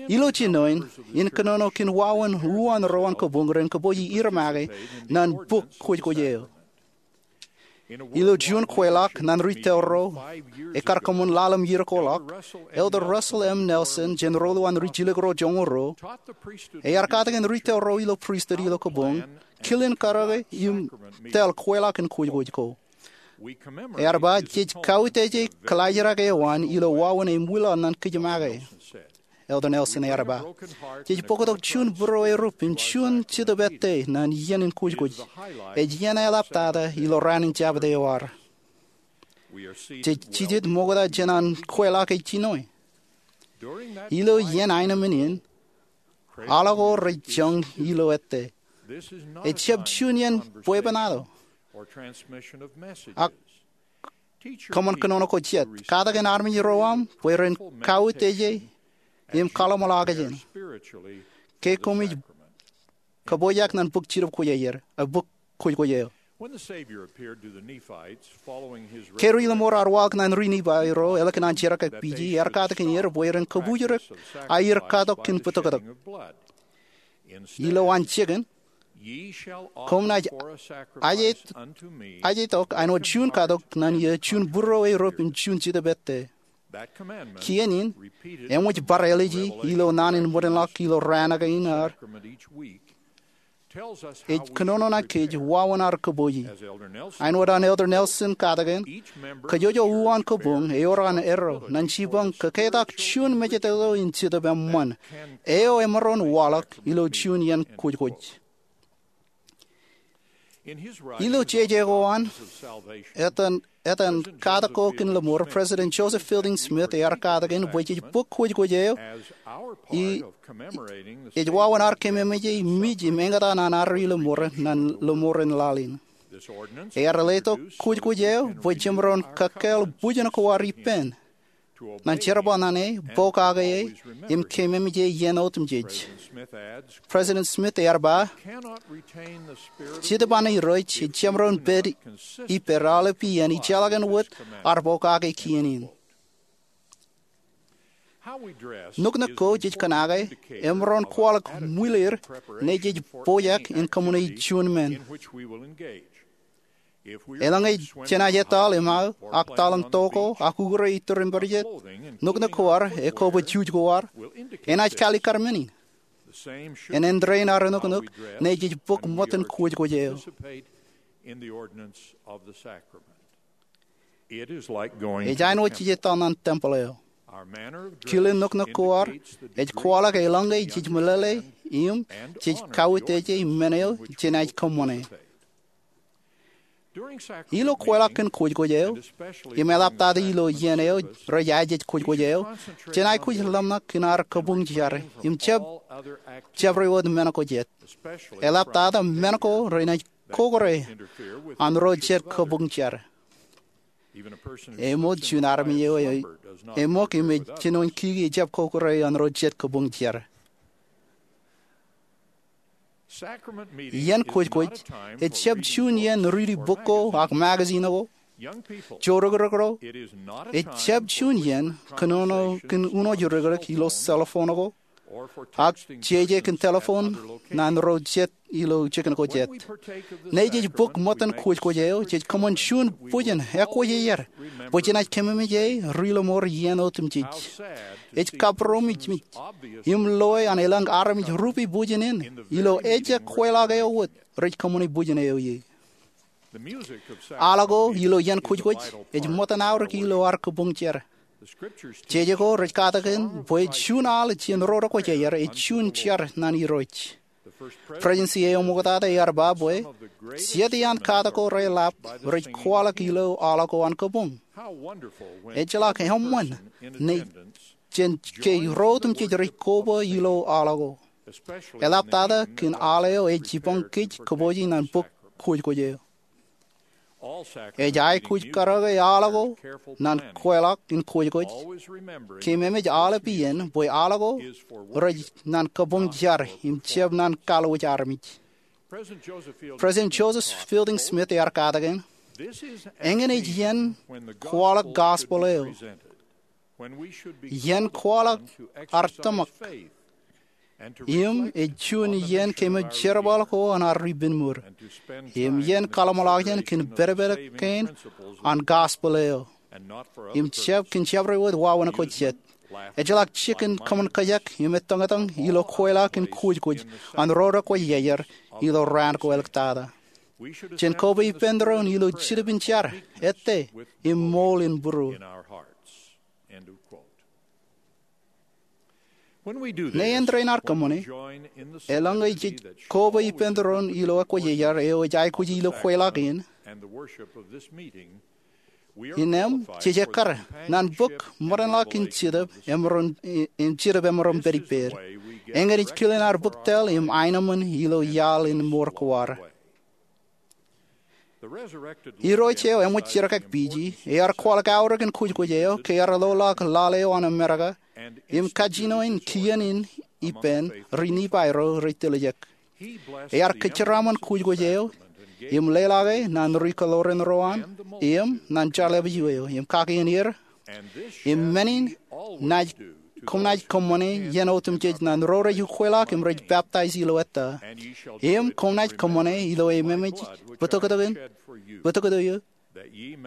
Ilo jinoin in kōnono kōn wāween uwaan ro an kabuñ ren kōpooje er make ñan bōk kwōjkwōj eo. Ilo juon kweilọk ñan rūtto ro ekkar kōṃṃan ḷalem iiō ko ḷọk, Elder Russell M. Nelson, jān rōḷḷap an rijjilōk ro joñoul ruo, ear katakin rūtto ro ilo pristut ilo kabuñ kilin karōke im tōl kweilọk in kwōjkwōj ko. Ear ba, jej kautiej e kalijrak eo an ilo wāween eṃwilaḷ ñan kōj make, Elder Nelson ear ba. Jej bōktok juon būruerup im juon Jetōb ettā ñan iien in kwōjkwōj. Ej iien eḷaptata ilo raan in Jabōt eo ad. Jej jijet ṃokta jān an kweilọk ej jinoe. Ilo iien aenōṃṃan in, aḷ ko rej joñ ilo ettā. Ejjab juon iien bwebwenato. Ak kōṃṃan kōnono ko jet. Katakin armej ro aṃ bwe ren kautiej e im kaḷōmṇak jān ke koṃij kōpooj ñan bōk Jetōb Kwōjarjar, bōk kwōjkwōj eo. Ke ri lōṃoor ar waḷọk ñan ri Nifai ro ālikin an jerkakpeje, ear katakin er bwe ren kōbuuj ri-aer katok kōn bōtōktōk. Ilo an jikin, koṃ naaj ajetok āinwōt juon katok ñan iiō juon būruo erup im juon Jetōb ettā. Kien in eṃōj bar ālije ilo naan in ṃōdenḷọk ilo raan kein, ej kōnono ñan kōj wāween ad kōpooj. Āinwōt an Elder Nelson katakin, kōjwōj uwaan kabuñ ewōr an erro ñan jipañ kōketak juon mejatoto in jetōb eṃṃan eo emaroñ waḷọk ilo juon iien kwōjkwōj. Ilo jeje ko an etan katak ko kōn lōṃoor, President Joseph Fielding Smith ear katakin bwe jej bōk kwōjkwōj eo ej wāween ad kememej e mej im eñtaan an ad ri lōṃoor ñan lōṃoor in laḷ in. Ear letok kwōjkwōj eo bwe jemaroñ kakkāāl bwijin ko ad ippān ñan jerbal ñan e, pokake e, im kememej e iien otemjej. President Smith ear ba, Jetōb an Irooj ejjab maroñ pād ippād aolepān ijeḷā kōn wōt ad pokake kien in. Nuknuk ko jej kōṇaan emaroñ kwaḷọk ṃwilaer ñe jej pojak in kōṃṃane juon men. Eḷaññe jenaaj etal im aō ak talōñ to ko ak ukure iturūṃ pād jet, nuknuk ko ad, ekwe bwe juj ko ad, enaaj kalikkar men in. Enaaj āindein ad nuknuk ñe jej bōk ṃōttan kwōjkwōj eo. Ej āinwōt jej etal ñan tempōḷ eo. Kile nuknuk ko ad ej kwaḷọk eḷaññe jej meḷeḷe im jej kauteje men eo jenaaj kōṃṃane. Ilo kweilọk kōn kwōjkwōj eo, im eḷaptata ilo iien eo rej ajej kwōjkwōj eo, jen aikuj ḷōmṇak kōn ad kabuñ jar im jab, jabdewōt men ko jet, eḷaptata men ko renaaj kōkōrā an ro jet kabuñ jar. Eṃōj juon armej eo eṃōk im ej jinoin kiki ejjab kōkōrā an ro jet kabuñ jar. Iien kwōjkwōj ejjab juon iien riiti bok ko ak magazine ko. Jorōkrōk ro, ejjab juon iien kōnono kōn uno jorōkrōk ilo cell phone ko ak jeje kōn telephone ñan ro jet ilo jikin ko jet. Ñe jej bōk ṃōttan kwōjkwōj eo, jej kōṃṃan juon bwijin ekwōjarjar bwe jenaaj kememej e ri lōṃoor iien otemjej. Ej kabbromiej im loe an elōñ armej rupe bwijin in ilo ejjab kweilọk eo wōt rej kōṃṃane bwijin eo ie. Aḷ ko ilo iien kwōjkwōj ej ṃōttan aorōk ilo ad kabuñ jar. Jeje ko rej katakin bwe juon aḷ jān ro rekwōjarjar ej juon jar ñan Irooj. Presidency eo ṃoktata ear ba bwe jet iaan katak ko reḷap rej kwaḷọk ilo aḷ ko an kabuñ. Ejjeḷọk eṃṃan ñe jān ke ro otemjej rej koba ilo aḷ ko, eḷaptata kōn aḷ eo ej jipañ kōj kōpooje ñan bōk kwōjkwōj eo. Ej aikuj karōke aḷ ko ñan kweilọk in kwōjkwōj. Kememej aolepān bwe aḷ ko rej ñan kabuñ jar im jab ñan kallwōj armej. President Joseph Fielding Smith ear katakin, eñin ej iien kwaḷọk gospel eo, iien kwaḷọk ad tōmak, im ej juon iien kememej jerbal ko an ad ri penmour, im iien kaḷōmṇak jān kōn pedped kein an gospel eo, im jab kōn jabdewōt wāween ko jet. Ejjeḷọk jikin kōṃṃan kōjak im ettōñtōñ ilo kweilọk in kwōjkwōj an ro rekwōjarjar ilo raan ko āliktata. Jen koba ippān doon ilo jetōb in jar, ettā, im ṃool in būruō. Ñe āindein ad kōṃṃane, eḷaññe jej koba ippān doon ilo ekwōjarjar eo ej aikuj ilo kweilọk in, innām jej ekkar ñan bōk ṃōdenḷọk in jetōb emaroñ, in jetōb emaroñ pād ippād. Eñin ej kilen ad bōk tōl im aenōṃṃan ilo iaḷ in mour ko ad. Irooj eo eṃōj jerkakpeje ear kwaḷọk aorōk in kwōjkwōj eo ke ear loḷọk laḷ eo an Amerika im kajjino in kien in ippān ri-Nifai ro rej tiljek. Ear kōjeraṃṃan kwōjkwōj eo im leḷọke ñan ri-kōḷoran ro an im ñan jar lepād eo im kake in er, im men in naaj, koṃ naaj kōṃṃane iien otemjej ñan ro rej ukweḷọk im rej peptaij ilo ettā. Im koṃ naaj kōṃṃane ilo ememej bōtōktōkin, bōtōktōk eo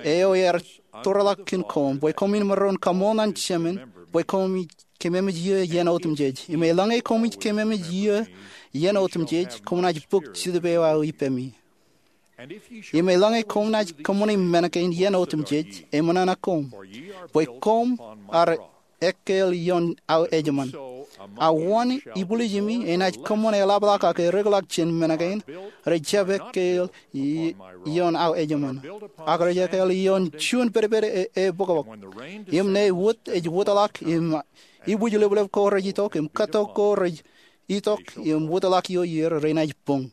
eo ear tōreḷọk kōn koṃ, bwe koṃwin maroñ kaṃool ñan Jemān bwe koṃij keememej eō iien otemjej. Im eḷaññe koṃij keememej eō iien otemjej, koṃ naaj bōk Jetōb eo aō ippemi. Im eḷaññe koṃ naaj kōṃṃane men kein iien otemjej, eṃōṇōṇō koṃ, bwe koṃ ar ekkāāl ioon aō ejṃan. A wōn ibwiljimi enaaj kōṃṃan eḷapḷọk ak erekḷọk jān men kein? Rej jab ekkāāl i-, ioon aō ejṃan, ak rej ekkāāl ioon juon pedped e, e bōkbōk. Im ñe wōt ej wōtḷọk im ibwijleplep ko rej itok im kōttok ko rej itok im wōtḷọk ioer, renaaj buñ.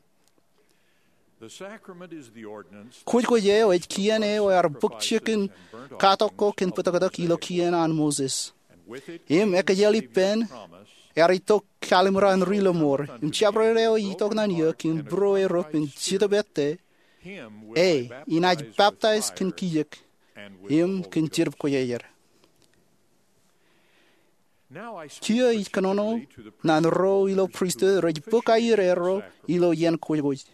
Kwōjkwōj eo ej kien eo ear bōk jikin katok ko kōn bōtōktōk ilo kien an Moses. Im ekōjel ippān ear itok Kallim̧ur an Ri Lōṃor. Im jabdewōt eo itok ñan eō kōn būruerup in Jetōb ettā, e inaaj peptaij kōn kijek im kōn Jetōb Kwōjarjar. Kiiō ij kōnono ñan ro ilo pristut rej bōk aier erro ilo iien kwōjkwōj.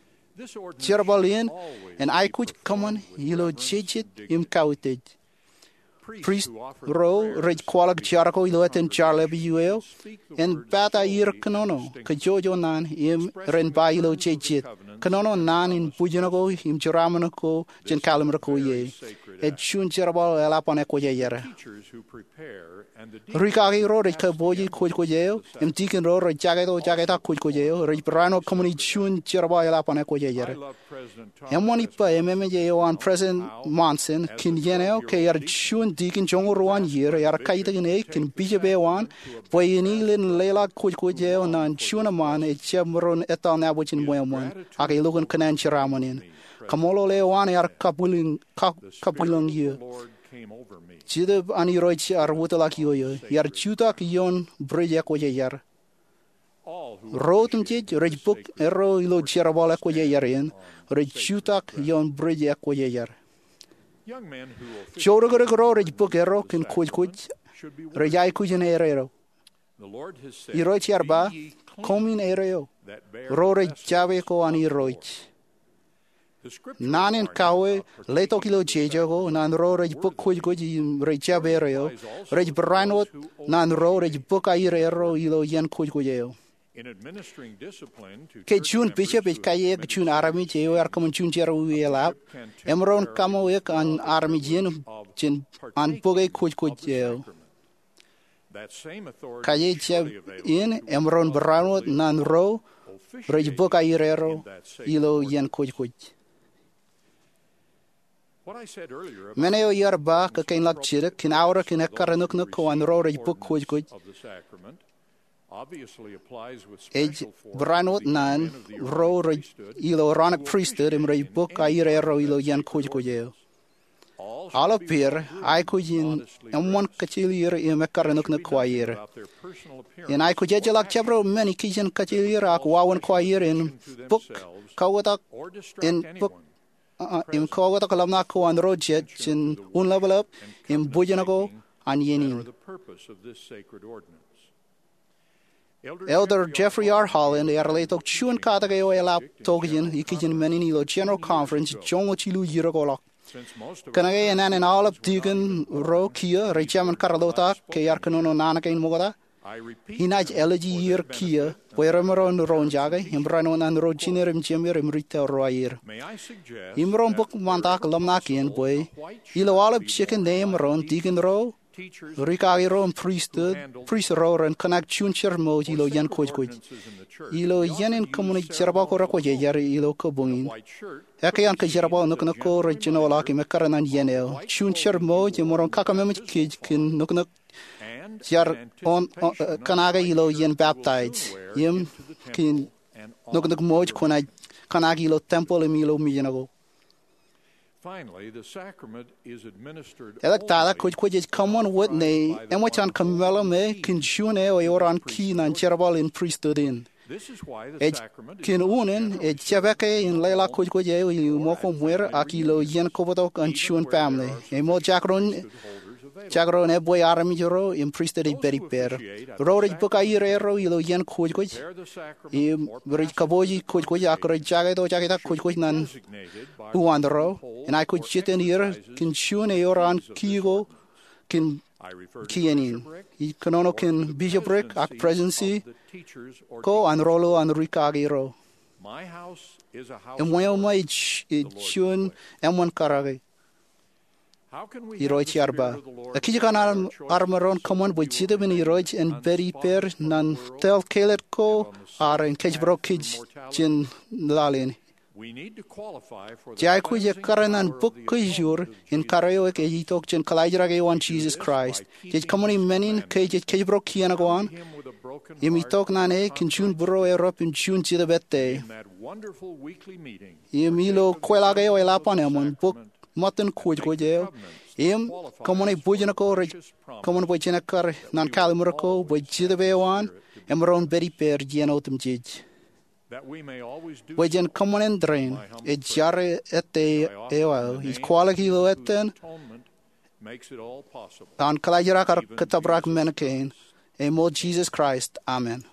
Jerbal in en aikuj kōṃṃan ilo jejet im kautiej. Prist ro rej kwaḷọk jar ko ilo etan jar lepād eo en pād aier kōnono kajjojo ñan im ren ba ilo jejet, kōnono ñan in bwijin ko im jeraaṃṃan ko jān kallim̧ur ko ie. Ej juon jerbal eḷap an ekwōjarjar. Rikaki ro rej kabouj kwōjkwōj eo im tikin ro rej jaketo jaketak kwōjkwōj eo rej barāinwōt kōṃṃani juon jerbal eḷap an ekwōjarjar. Eṃṃan ippa ememej eo an President Monson kōn iien eo ke ear juon tikin joñoul ruo an ier ear kaitikōn e kōn bishop eo an bwe en ilo leḷọk kwōjkwōj eo ñan juon eṃṃan ejab maroñ etal nabōjin ṃweo ṃōn, ak elukkuun kōṇaan jeraaṃṃan in. Kaṃṃoolol eo an ear kabwilōñ, ka-, kabwilōñ eō. Jetōb an Irooj ear wōtlọk ioio. Ear jutak ioon bwidej ekwōjarjar. Ro otemjej rej bōk erro ilo jerbal ekwōjarjar in rej jutak ioon bwidej ekwōjarjar. Joorōkrōk ro rej bōk erro kōn kwōjkwōj rej aikuj in erro. Irooj ear ba, koṃwin erro ro rej jab ko an Irooj. Naan in kawe letok ilo jeje ko ñan ro rej bōk kwōjkwōj im rej jab erro, rej barāinwōt ñan ro rej bōk aier erro ilo iien kwōjkwōj eo. Ke juon bishop ej kaiiō eok juon armej eo ear kōṃṃan juon jerọwiwi eḷap, emaroñ kaṃo eok an armej in jān an bōke kwōjkwōj eo. Kaiiō jab in emaroñ barāinwōt ñan ro rej bōk aier erro ilo iien kwōjkwōj. Men eo iar ba kōkāinḷọk jidik kōn aorōk in ekkar nuknuk ko an ro rej bōk kwōjkwōj ej barāinwōt ñan ro rej ilo Aaronic Pristut im rej bōk aier erro ilo iien kwōjkwōj eo. Aolep er aikuj in eṃṃan kajjioñ er im ekkar nuknuk ko aier. In aikuj ejjeḷọk jabdewōt men ikijjien kajjioñ er ak wāween ko aier in bōk kautiej, in bōk, uh, im kautiej ḷōmṇak ko an ro jet jān unḷapḷap im bwijin ko an iien in. Elder Jeffrey R. Holland ear letok juon katak eo eḷap tokjān ikijjien men in ilo General Conference joñoul jilu iiō ko ḷọk. Kōnke enana in aolep tikin ro kiiō rej jab kar lotak ke ear kōnono naan kein ṃokta, inaaj āliji er kiiō bwe remaroñ roñjake im barāinwōt ñan ro jiner im jemer im ri tōl ro aier. Imaroñ bōk ṃantak ḷōmṇak in bwe ilo aolep jikin ṇe emaroñ, tikin ro, rikaki ro im pristut, prist ro ren kōṇak juon jerbal ṃōj ilo iien kwōjkwōj. Ilo iien in kōṃṃani jerbal ko rekwōjarjar ilo kabuñ in, ekkā an kōjerbal nuknuk ko rej jinoḷọk im ekkar ñan iien eo. Juon jerbal ṃōj emaroñ kōkōmemej kōj kōn nuknuk jaar on, on, eh, kōṇake ilo iien peptaij im kōn nuknuk ṃōj kwōnaaj kōṇake ilo tempeḷ im ilo mejān ko. Finally, the sacrament is administered Eḷak tata kwōjkwōj ej kōṃṃan wōt ne eṃōj an kōmeḷeḷe kōn juon eo ewōr an kiiō ñan jerbal in pristut in. Ej kōn unin ej jepake in leḷọk kwōjkwōj eo ilo ṃōko ṃweer ak ilo iien kobtok an juon family. Eṃool jekdọọn jekdọọn ebwe armej ro im pristut ej pād ippāer. Ro rej bōk aier ro ilo iien kwōjkwōj im rej kabooji kwōjkwōj ak rej jaketo jaketak kwōjkwōj ñan uwaanro. Enaaj kwōj jitōñ er kōn juon eo ewōr an kiiō ko kōn kien in. Ij kōnono kōn bishopric ak presidency ko an rōḷḷap an ri kaki ro. Eṃṃan eo ṃōj ej juon eṃṃan karōke. Irooj ear ba, ekijjeen armej ro en kōṃṃan bwe Jetōb in Irooj en pād ippāer ñan tōl kāālōt ko ad en kōjparok kōj jān laḷ in. Jej aikuj ekkar ñan bōk kōj ur in karuo eo ej itok jān kaḷajrak eo an Jisōs Kraist. Jej kōṃṃani men in ke jej kōjparok kien ko an im itok ñan e kōn juon būruo erup im juon Jetōb ettā. Im ilo kweilọk eo eḷap an eṃṃan bōk ṃōttan kwōjkwōj eo im kōṃṃane bwijin ko rej kōṃṃan bwe jen ekkar ñan kallimur ko bwe Jetōb eo an emaroñ pād ippāer iien otemjej. Bwe jen kōṃṃan in tōre in, ej jare ettā eo aō ij kwaḷọk ilo etan an kaḷajrak ak kōttōprak men kein. Eṃool Jisōs Kraist, amen.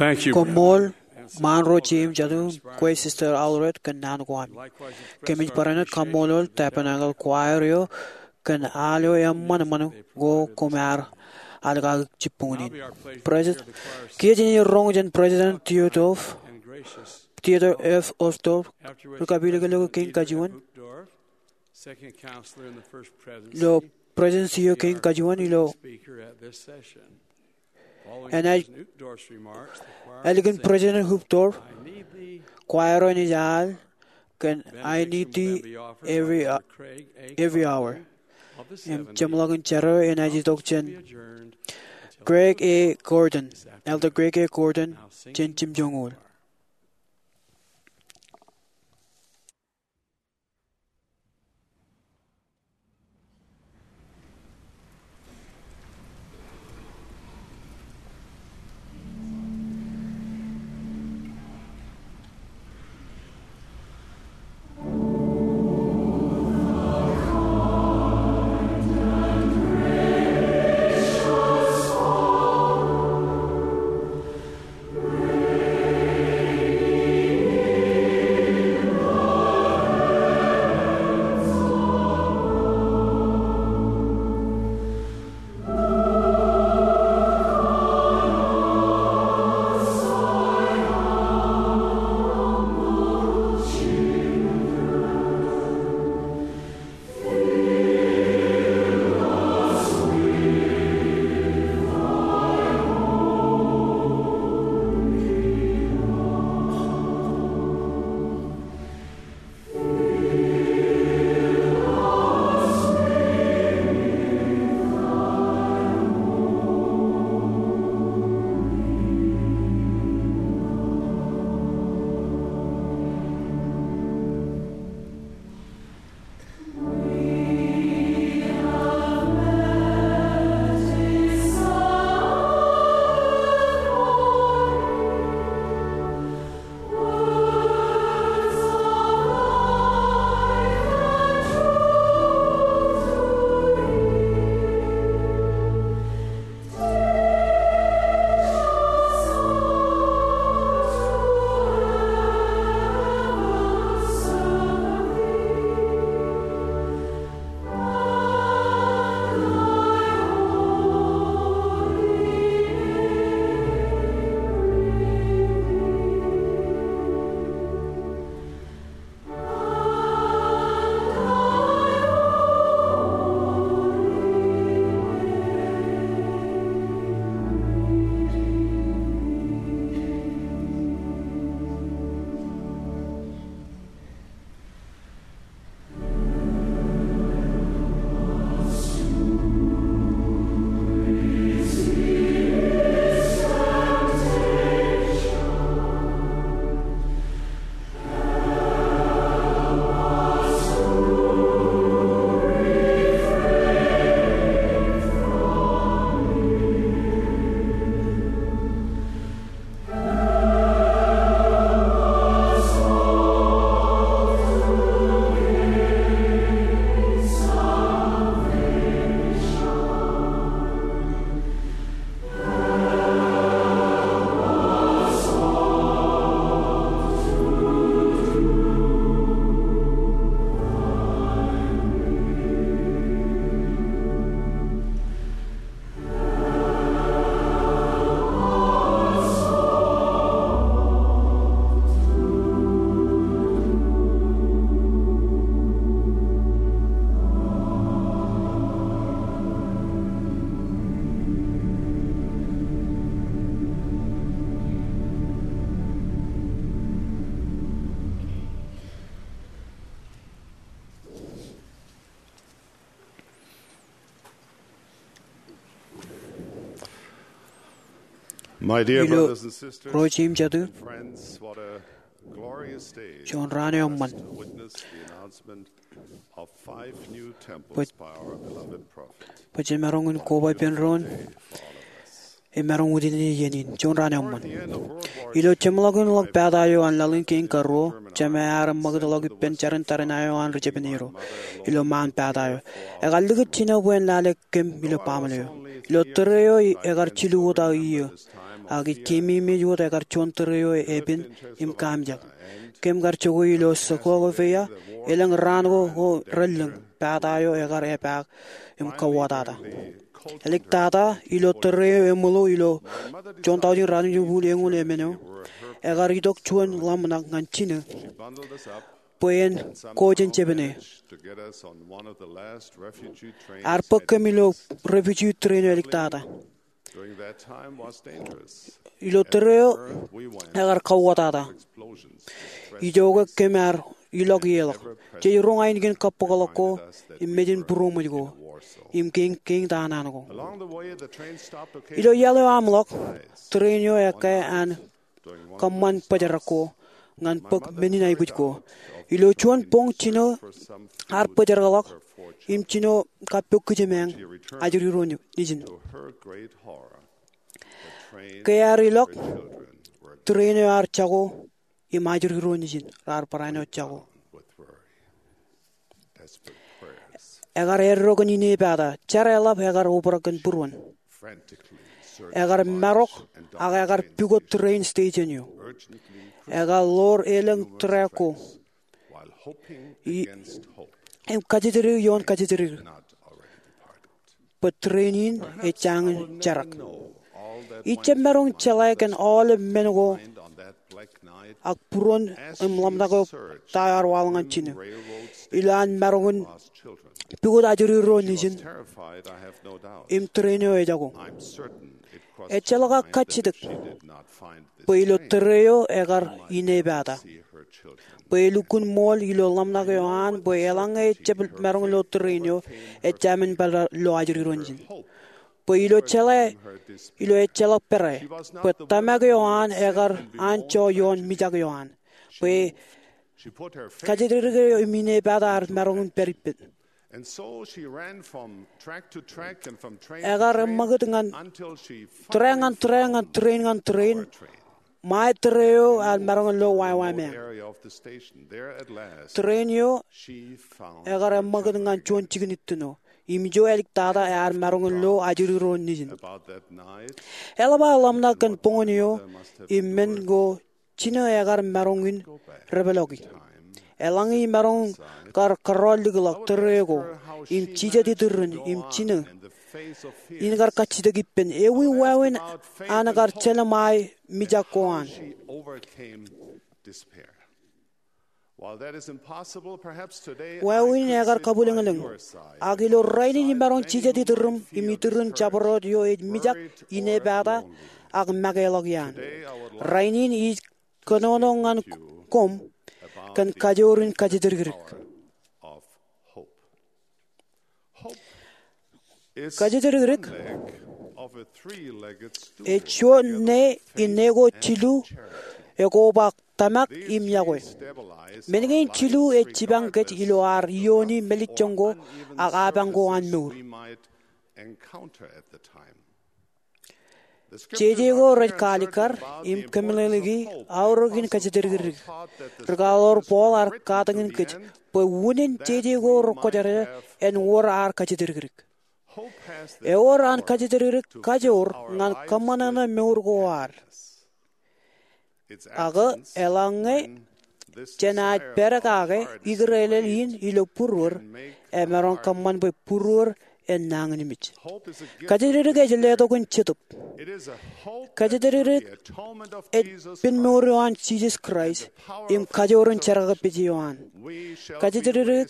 Thank you, Koṃṃool, Brother Monroe James Jadu, kwe Sister Allred kōn naan ko ami. Kōmij barāinwōt kaṃṃoolol tabernacle choir eo kōn al eo eṃṃan eṃṃan ko koṃ ar alkaak jibboñōn in. President, kiiō jenaaj roñ jān President Theodore, Theodore F. Uchtdorf, ri kapilōklōk eo kein kajuon, ilo President eo kein kajuon ilo enaaj ālikin President Uchtdorf, choir eo enaaj al kōn I Need Thee Every, Every Hour. Im jeṃḷọkin jar eo enaaj itok jān Craig A. Gordon, Elder Craig A. Gordon, jān jimjuonñoul. My dear Ilo brothers and sisters, ro jeiū im jatū, and friends, what a glorious day juon raan eo eṃṃan. To witness the announcement of five new temples by our beloved prophet. Bwe jemaroñ in koba ippān doon, emaroñ wūtiej iien in, juon raan eo eṃṃan. Ilo jeṃḷọkin ḷọk pata eo an laḷ in kein karuo, Jemān ear ṃakūtḷọk ippān jarin tariṇae eo an ri jepin Ro ilo ṃaan pata eo. Ekar likūt jino bwe en lale kōm ilo baaṃle eo. Ilo tōre eo, ekar jilu wōt aō iiō. Ak ij keememej wōt ekar juon tōre eo epen im kaamijak. Kōm kar jokwe ilo Czechoslovakia, elōñ raan ko ko relōñ, pata eo ekar epaak im kauwōtata. Āliktata, ilo tōre eo eṃōḷo ilo juon tọujin ruatimjuon bukun eñoul emān eo, ekar itok juon ḷōmṇak ñan jinō bwe en ko jān jepāne. Ear bōk kōm ilo refugee tōre eo āliktata. Ilo tōre eo ekar kauwōtata. Ijoke kōm ar ilọk ie ḷọk. Jej roñ ainikien kabbokḷọk ko im mejān būroṃōj ko im kein, kein ta an an ko. Ilo iaḷ eo aṃ ḷọk, tōre in eo ekkā an kōṃṃan bōjrak ko ñan bōk men in aikuj ko. Ilo juon boñ, jino ear bōjrak ḷọk im jino kappok kijemeañ ajri ro nejin. Ke ear ilọk, tōre in eo ear jako im ajri ro nejin raar barāinwōt jako. Ekar eddo kōn inepata, jar eḷap ekar obrak kōn būruon. Ekar marok ak ekar pukot tōre in station eo. Ekar ḷoor elōñ track ko im kajjitōdik ioon kajjitōdik bwe tōre in ej jañin jerak. Ij jab maroñ jeḷā kōn aolep men ko ak būruon im ḷōmṇak eo ta ear waḷọk ñan jinō ilo an maroñ in pukot ajri ro nejin im tōre in eo ejako. Ejjeḷọk aō kajjitōk bwe ilo tōre eo ekar inepata, bwe elukkuun ṃool ilo ḷōmṇak eo an bwe eḷaññe ejjab maroñ lo tōre in eo, ejāmin pād lo ajri ro nejin. Bwe ilo jeḷā, ilo ejjeḷọk pere, bwe tōmak eo an ekar anjọ ioon mijak eo an, bwe kajjitōdik eo im inepata ear maroñ in pād ippān. Ekar eṃṃakūt ñan tōre ñan tōre ñan tōre in ñan tōre in, ṃae tōre eo ear maroñ lo wāween. Tōre in eo ekar eṃṃakūt ñan juon jikin ittino, im ijo āliktata ear maroñ lo ajri ro nejin. Eḷap aō ḷōmṇak kōn boñōn eo im men ko jinō ekar maroñ in repeḷọki. Eḷaññe imaroñ kar kōrọọl likḷọk tōre ko im jijet itūrin im jinō in kar kajjitōk ippān, ewi wāween an kar jelṃae mijak ko an? Wāween ekar kabwilōñlōñ, ak ilo rainin imaroñ jijet itūrūṃ im itūrin jabdewōt eo ej mijak, inepata, ak makeḷọk iaan. Rainin ij kōnono ñan koṃ kōn kajoor in kajjitōdikdik. Kajjitōdikdik ej juon ṇe in ṇe ko jilu ekoba tōmak im iọkwe. Men kein jilu ej jipañ kōj ilo ad iiooni mālejjoñ ko ak apañ ko an mour. Jeje ko rej kaalikkar im kōmeḷeḷeiki aorōkin kajjitōdikdik. Rikaḷoor Paul ear katakin kōj bwe unin jeje ko rekwōjarjar en wōr ad kajjitōdikdik. Ewōr an kajjitōdikdik kajoor ñan kōṃṃan ṇe mour ko ad. Ak eḷaññe jān ad pād kake ikōrālel in ilo būruod, emaroñ kōṃṃan bwe būruod en nañinmej. Kajjitōdikdik ej letok in jetōb. Kajjitōdikdik ej pen mour eo an Jisōs Kraist im kajoor in jerkakpeje eo an. Kajjitōdikdik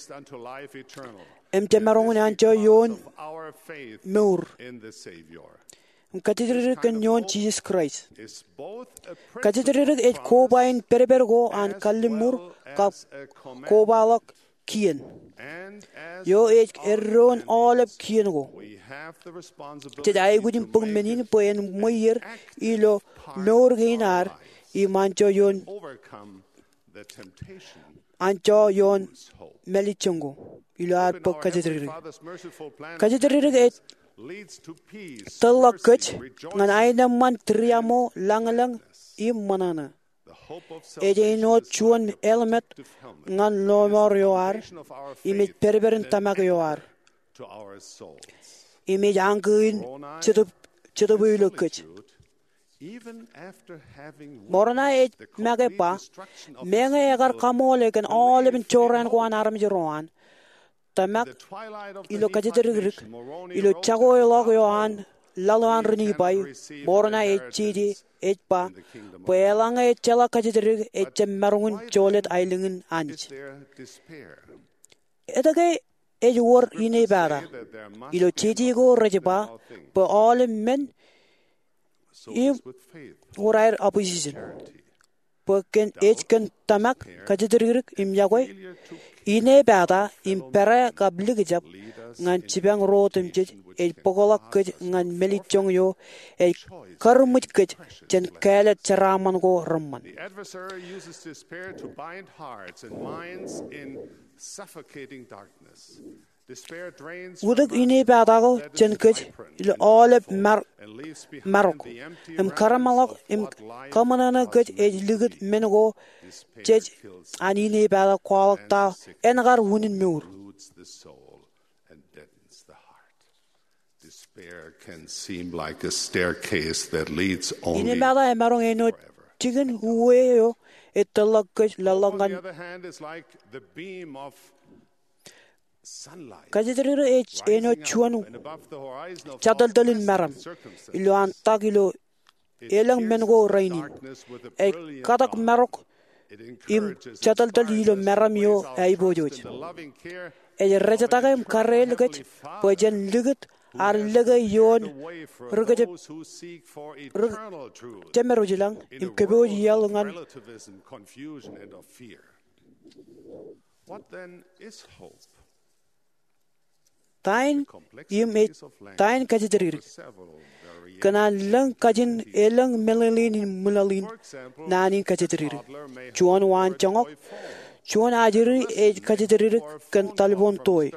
im jemaroñ in anjọ ioon mour im kajjitōdikdik kōn ioon Jisōs Kraist. Kajjitōdikdik ej koba in pedped ko an kalliṃur kab kobaḷọk kien eo ej eddoin aolep kien ko. Jej aikuj in bōk men in bwe en ṃweier ilo mour kein ad im anjọ ioon anjọ ioon mālejjoñ ko ilo ad bōk kajjitōdikdik. Kajjitōdikdik ej tōlḷọk kōj ñan aenōṃṃan, tūriaṃo, lañlōñ im ṃōṇōṇō. Ej āinwōt juon helmet ñan lọmọọr eo ad im ej pedped in tōmak eo ad im ej añkō in jetōb, jetōb eo ilo kōj. Moroni ej make ba, meñe ekar kaṃoole kōn aolepān jorrāān ko an armej ro an, tōmak ilo kōjatdikdik, ilo jako eo ḷọk eo an laḷ eo an ri Nifai, Moroni ej jeje, ej ba, bwe eḷaññe ejjeḷọk kōjatdik, ejjab maroñ in jolōt aelōñ in Anij. Etke ej wōr inepata? Ilo jeje ko rej ba bwe aolep men im wōr aer opposition. Bwe kōn ej kōn tōmak, kōjatdikdik im yokwe, inepata im pere kab likjab ñan jipañ ro otemjej ej bōkḷọk kōj ñan mālejjoñ eo ej karmwij kōj jān kāālōt jeraaṃṃan ko reṃṃan. Utōk inepata ko jān kōj ilo aolep marok im kareṃṃanḷọk im kaṃōṇōṇō kōj ej likūt men ko jej an inepata kwaḷọk ta en kar unin mour. Inepata emaroñ āinwōt jikin uwe eo ej tōrḷọk kōj lōḷḷọk ñan. Kōjatdikdik ej āinwōt juon jatōltōl in meram ilo an tak ilo elōñ men ko rainin. Ej katak marok im jatōltōl ilo meram eo aiboojoj. Ej rejetake im kareel kōj bwe jen likūt ad lōke ioon ri kōjepmād ro ilañ im kōpooj iaḷ ñan. Ta in im ej ta in kōjatdikdik? Kōn an lōñ kajin elōñ meḷeḷein in ṃwilaḷ in naan in kōjatdikdik. Juon waanjoñak, juon ajri ej kōjatdikdik kōn taḷboon toe.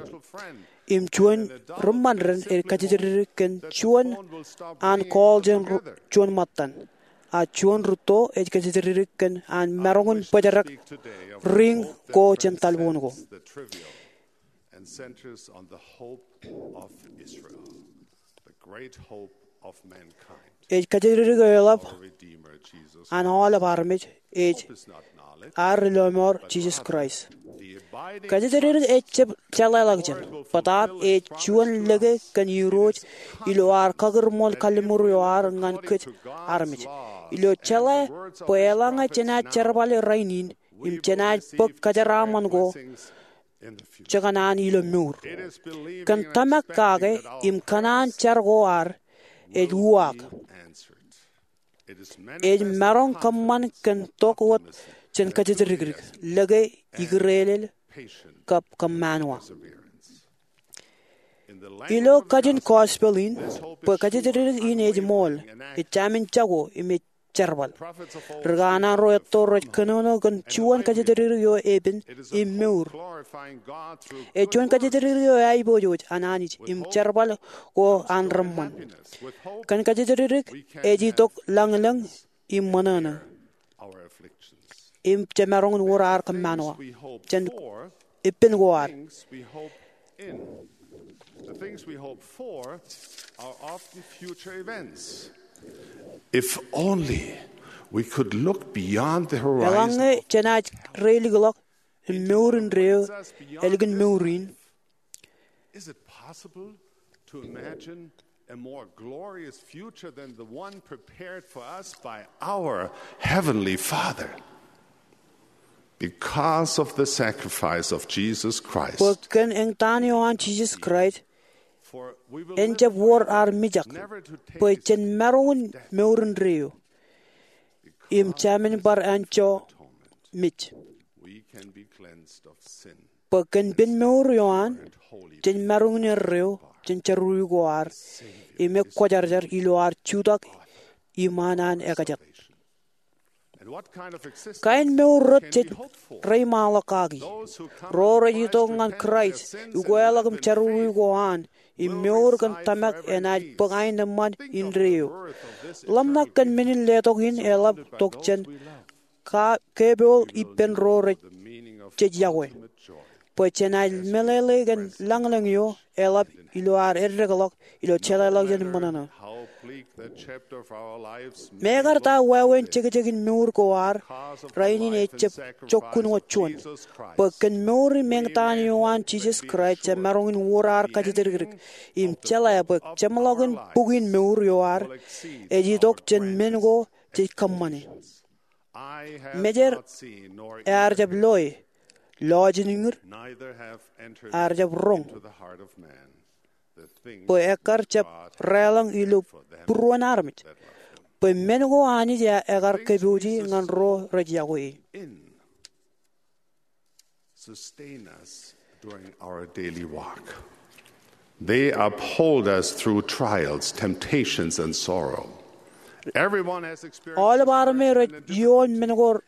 Im juon ri ṃōn ren ej kōjatdikdik kōn juon an call jān juon ṃōttan. A juon rūtto ej kōjatdikdik kōn an maroñ in bōjrak ring ko jān taḷboon ko. Ej kōjatdikdik eḷap an aolep armej ej ad ri lọmọọr Jisōs Kraist. Kōjatdikdik ejjab jeḷāḷọkjeṇ, bōtaab ej juon lōke kōn Irooj ilo ad kakūrṃool kalliṃur eo ad ñan kōj armej. Ilo jeḷā bwe eḷaññe jenaaj jerbal rainin im jenaaj bōk kajeraaṃṃan ko jekōṇaan ilo mour. Kōn tōmak kake im kōṇaan jar ko ad ej uwaak. Ej maroñ kōṃṃan kōn tok wōt jān kōjatdikdik, lōke, ikōrālel, kab kōṃṃanwa. Ilo kajin gospel in, bwe kōjatdikdik in ej ṃool, ej jāmin jako im ej jerbal. Ri kanaan ro etto rej kōnono kōn juon kōjatdikdik eo epen im mour. Ej juon kōjatdikdik eo aiboojoj an Anij im jerbal ko an reṃṃan. Kōn kōjatdikdik ej itok lañlōñ im ṃōṇōṇō im jemaroñ in wōr ad kōṃṃanwa jān ippān ko ad. If only we could look beyond the horizon. Eḷaññe jenaaj reilikḷọk im mour indeeo ālikin mour in. Is it possible to imagine a more glorious future than the one prepared for us by our Heavenly Father? Because of the sacrifice of Jesus Christ. Bwe kōn eñtaan eo an Jisōs Kraist, en jab wōr ad mijak, bwe jen maroñ in mour indeeo im jāmin bar anjọ mej. Bwe kōn pen mour eo an, jen maroñ in erreo jān jerọwiwi ko ad im ekwōjarjar ilo ad jutak iṃaan an ekajet. Kain mour rot jej reiṃaanḷọk kaki? Ro rej itok ñan Kraist, ukeḷọk im jerọwiwi ko an, im mour kōn tōmak enaaj bōk aenōṃṃan indeeo. Ḷōmṇak kōn men in letok in eḷap tok jān ka kepool ippān ro rej jej yokwe. Bwe jenaaj meḷeḷe kōn lañlōñ eo eḷap ilo ad eddekḷọk ilo jeḷāḷọkjeṇ ṃōṇōṇō. Mekarta wāween jekjekin mour ko ad rainin ejab jokkun wōt juon, bwe kōn mour im eñtaan eo an Jisōs Kraist, jemaroñ in wōr ad kajatdikdik im jeḷā bwe jeṃḷọkin bukin mour eo ad ej itok jān men ko jej kōṃṃane. Mejeer ear jab loe, lọjilñid ear jab roñ, bwe ekkar jab raelōñ ilo būruon armej, bwe men ko Anij ekar kōpooje ñan ro rej yokwe e. Sustain us during our daily walk. They uphold us through trials, temptations, and sorrow. Aolep armej rej ioon men ko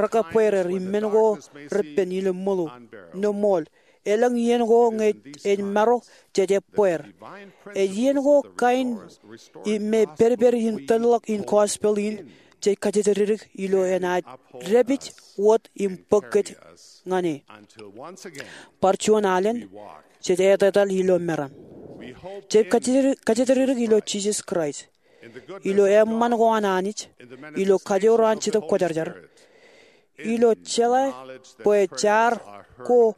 rekabweer er im men ko repen ilo ṃōḷo, ṃool. Elōñ iien ko ñe ej marok jej ebbeer. Ej iien ko kain im me pedped in tōnḷọk in gospel in jej kajatdikdik ilo enaaj dāpij wōt im bōk kōj ñan e. Bar juon alen, jej etetal ilo meram. Jej kajatdikdik ilo Jisōs Kraist, ilo eṃṃan ko an Anij, ilo kajoor eo an Jetōb Kwōjarjar, ilo jeḷā bwe jar ko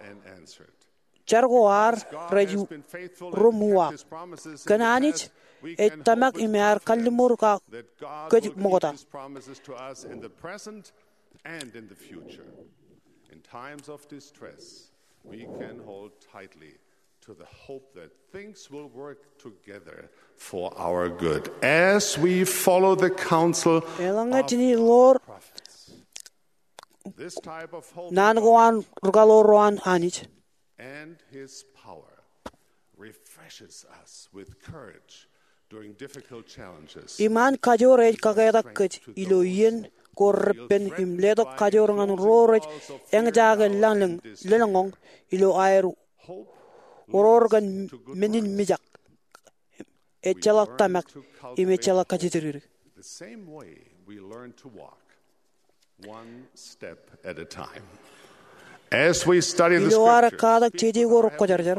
jar ko ad rej ruṃwij. Kōn Anij ej tōmak im ear kalliṃur kōj ṃokta. And in the future, in times of distress, we can hold tightly to the hope that things will work together for our good as we follow the counsel of our prophets. Eḷaññe jen ḷoor naan ko an rūkaḷoor ro an Anij, and his power refreshes us with courage during difficult challenges. Im an kajoor ej kaketak kōj ilo iien ko repen im letok kajoor ñan ro rej eñjake lōḷñọñ ilo aer oror kōn men in mijak. Ejjeḷọk tōmak im ejjeḷọk kajatdikdik. The same way we learn to walk, one step at a time. As we study the scriptures, ilo ad katak jeje ko rekwōjarjar,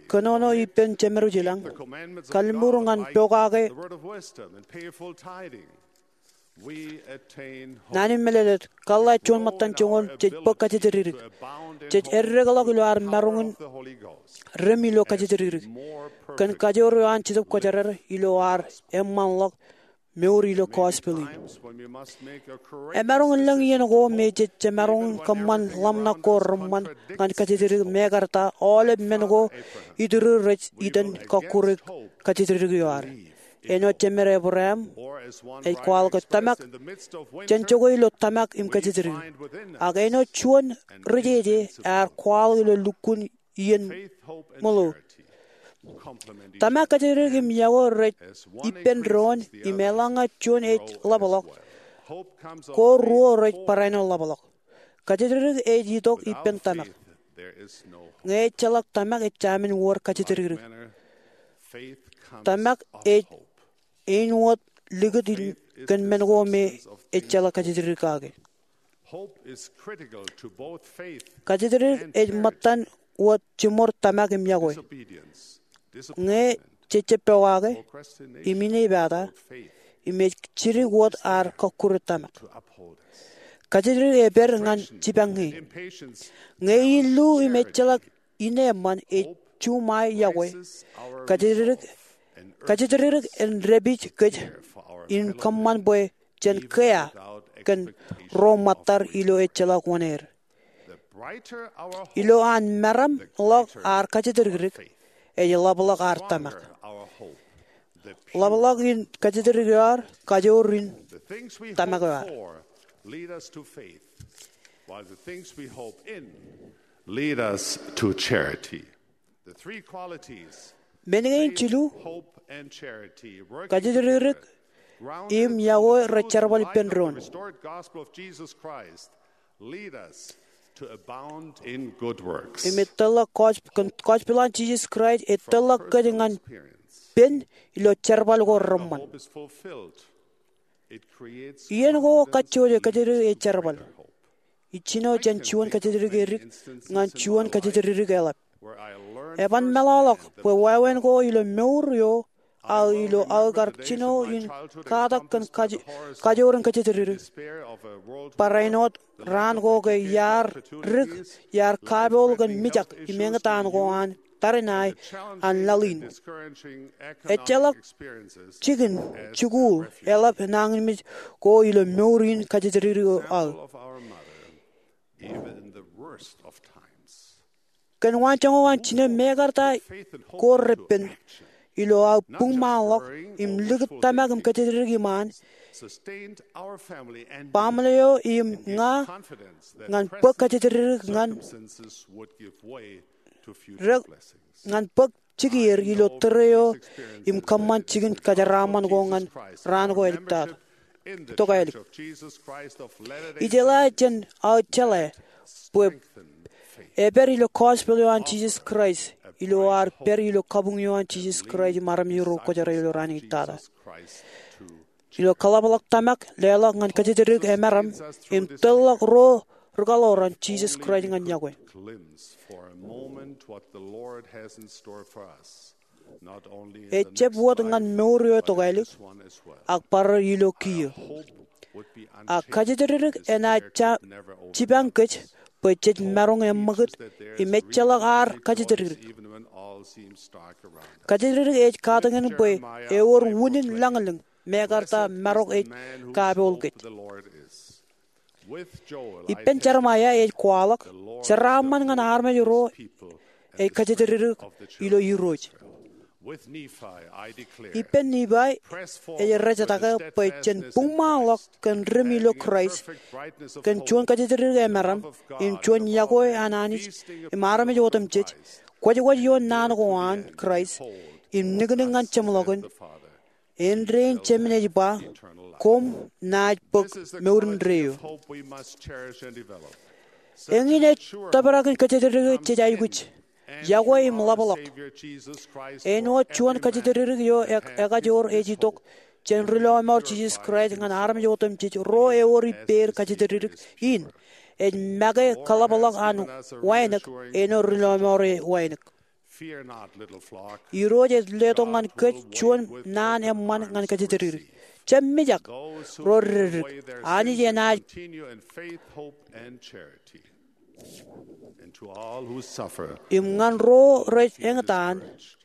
kōnono ippān Jemed ilañ, kalliṃur ñan pokake, the word of wisdom and pay full tithing, we attain hope. Naan in mālōtlōt, kōḷḷā juon ṃōttan joñoul jej bōk kajatdikdik. Jej eddekḷọk ilo ad maroñ in rem ilo kajatdikdik kōn kajoor eo an Jetōb Kwōjarjar ilo ad eṃṃanḷọk mour ilo gospel in. Emaroñ in lōñ iien ko me jej jemaroñ kōṃṃan ḷōmṇak ko reṃṃan ñan kajatdikdik mekarta aolep men ko ituriur rej itōn kọkkure kajatdikdik eo ad. Āinwōt Jemed Ebream ej kwaḷọk ke tōmak, jen jokwe ilo tōmak im kajatdikdik. Ak āinwōt juon rijeje ear kwaḷọk ilo lukkuun iien ṃōḷo. Tōmak, kajatdikdik im yokwe rej ippān doon, im eḷaññe juon ej ḷapḷọk, ko ruo rej barāinwōt ḷapḷọk. Kajatdikdik ej itok ippān tōmak. Ñe ejjeḷọk tōmak, ejāmin wōr kajatdikdik. Tōmak ej āinwōt likūt in kōn men ko me ejjeḷọk kajatdikdik kake. Kajatdikdik ej ṃōttan wōt jiṃor tōmak im yokwe. Ñe jej jab pokake, im inepata, im ej jidik wōt ad kọkkure tōmak. Kajatdikdik ej pād ñan jipañe. Ñe illu im ejjeḷọk ineeṃṃan, ej juṃae yokwe. Kajatdikdik, kajatdikdik en dāpij kōj in kōṃṃan bwe jen kea kōn ro ṃōttad ilo ejjeḷọk wōṇāer. Ilo an meramḷọk ad kajatdikdik, ej ḷapḷọk ad tōmak. Ḷapḷọk in kajatdikdik eo ad, kajoor in tōmak eo ad. Lead us to faith, while the things we hope in lead us to charity. The three qualities, men kein jilu, kajatdikdik im yokwe, rej jerbal ippān doon. Im etōllọk gospel an Jisōs Kraist, etōllọk kōj ñan pen ilo jerbal ko reṃṃan. Iien ko kajjojo, kajatdikdik ej jerbal. Ij jino jān juon kajatdikdik edik ñan juon kajatdikdik eḷap. Eban meḷọkḷọk bwe wāween ko ilo mour eo aō ilo aō kar jino in katak kōn kaj-, kajoor in kōjatdikdik. Barāinwōt raan ko ke iar dik, iar kapool kōn mijak im eñtaan ko an tariṇae an laḷ in. Ejjeḷọk jikin jikuuḷ eḷap nañinmej ko ilo mour in kōjatdikdik eo aō. Kōn waanjoñak eo an jinen mekarta ko repen ilo aō buñmaanḷọk im likūt tōmak im kōjatdikdik iṃaan, baaṃle eo im ña ñan bōk kōjatdikdik ñan rōk ñan bōk jikier ilo tōre eo im kōṃṃan jikin kajeraaṃṃan ko ñan raan ko āliktata. Tokālik. Ijeḷā jān aō jeḷā bwe epād ilo gospel eo an Jisōs Kraist ilo ad pād ilo kabuñ eo an Jisōs Kraist im armej ro kwōjarjar ilo raan in tata. Ilo kaḷapḷọk tōmak, leḷọk ñan kōjatdikdik emaroñ, im tōrḷọk ro rikaḷoor an Jisōs Kraist ñan yokwe. Ejab wōt ñan mour eo tokālik, ak bar ilo kiiō. Ak kōjatdikdik enaaj jipañ kōj bwe jej maroñ eṃṃakūt im ejjeḷọk ad kōjatdikdik. Kōjatdikdik ej katakin bwe ewōr unin lañlōñ mekarta marok ej kapool kōj. Ippān Jeremaia ej kwaḷọk, jeraaṃṃan ñan armej ro ej kōjatdikdik ilo Irooj. Ippān Nipai ej rejetake bwe jen buñmaanḷọk kōn dim ilo Kraist, kōn juon kōjatdikdik emaroñ, im juon iọkwe an Anij im armej otemjej, kwōjkwōj ioon naan ko an Kraist, im niknik ñan jeṃḷọkin, āindein Jemān ej ba, koṃ naaj bōk mour indeeo. Eñin ej tōprak in kōjatdikdik jej aikuj, iọkwe im ḷapḷọk. Āinwōt juon kōjatdikdik eo ekajoor ej itok jān ri lọmọọr Jisōs Kraist ñan armej otemjej ro ewōr ippāer kōjatdikdik in, ej make kaḷapḷọk an wānōk āinwōt ri lọmọọr e wānōk. Irooj ej letok ñan kōj juon naan eṃṃan ñan kōjatdikdik. Jab mijak ro reddik. Anij enaaj im ñan ro rej eñtaan,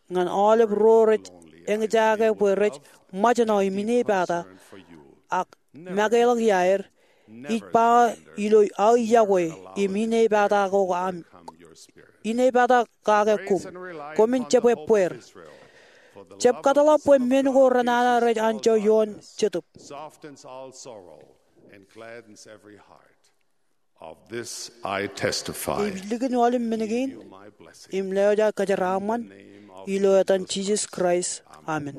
ñan aolep ro rej eñjake bwe rej ṃōjṇọ im inepata, ak makeḷọk iaer, ij ba ilo aō iọkwe im inepata ko aṃ, inepata kake koṃ. Koṃwin jab ebbeer. Jab kōtḷọk bwe men ko renana rej anjọ ioon Jetōb. Ij likin aolep men kein im lewōj aō kajeraaṃṃan ilo etan Jisōs Kraist, amen.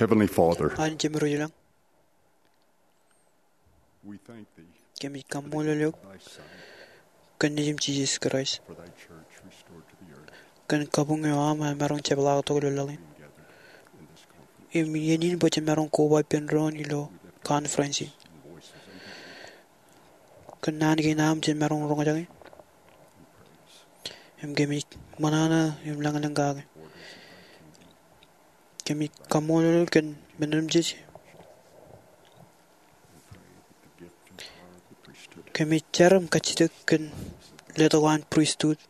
Heavenly Father, An Jemem ro ilañ, we thank thee kōmij kaṃṃoolol eok thy Son, kōn Nejiṃ Jisōs Kraist, for thy church restored to the earth, kōn kabuñ eo aṃ emaroñ jepḷaaktok ilo laḷ in. Im iien in bwe jemaroñ koba ippān doon ilo conference in. Kōn naan kein aṃ jemaroñ roñjake. Im kōmij ṃōṇōṇō im lañlōñ kake. Kōmij kaṃṃoolol kōn men otemjej. Kōmij jar im kajjitōk kōn letok an pristut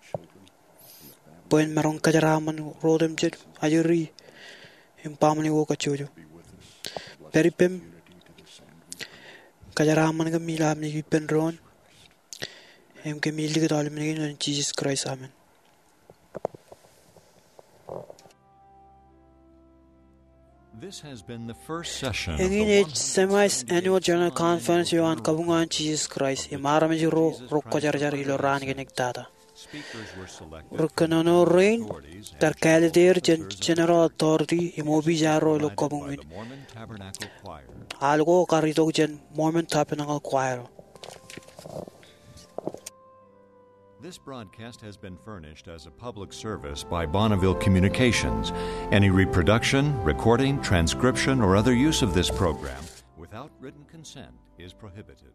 bwe en maroñ kōjeraaṃṃan ro otemjej, ajri, im baaṃle ko kajjojo. Pād ippem, kōjeraaṃṃan kōm ilo am naaj ippān doon. Im kōmij likūt aolep men kein ilo etan Jisōs Kraist, amen. This has been the first session of the Eñin ej semi-annual general conference eo an kabuñ an Jisōs Kraist im armej ro rekwōjarjar ilo raan kein ektata. Ri kōnono rein kar kāālōt er jān general authority im opiij arro ilo kabuñ in. Al ko kar itok jān Mormon Tabernacle Choir. This broadcast has been furnished as a public service by Bonneville Communications. Any reproduction, recording, transcription, or other use of this program without written consent is prohibited.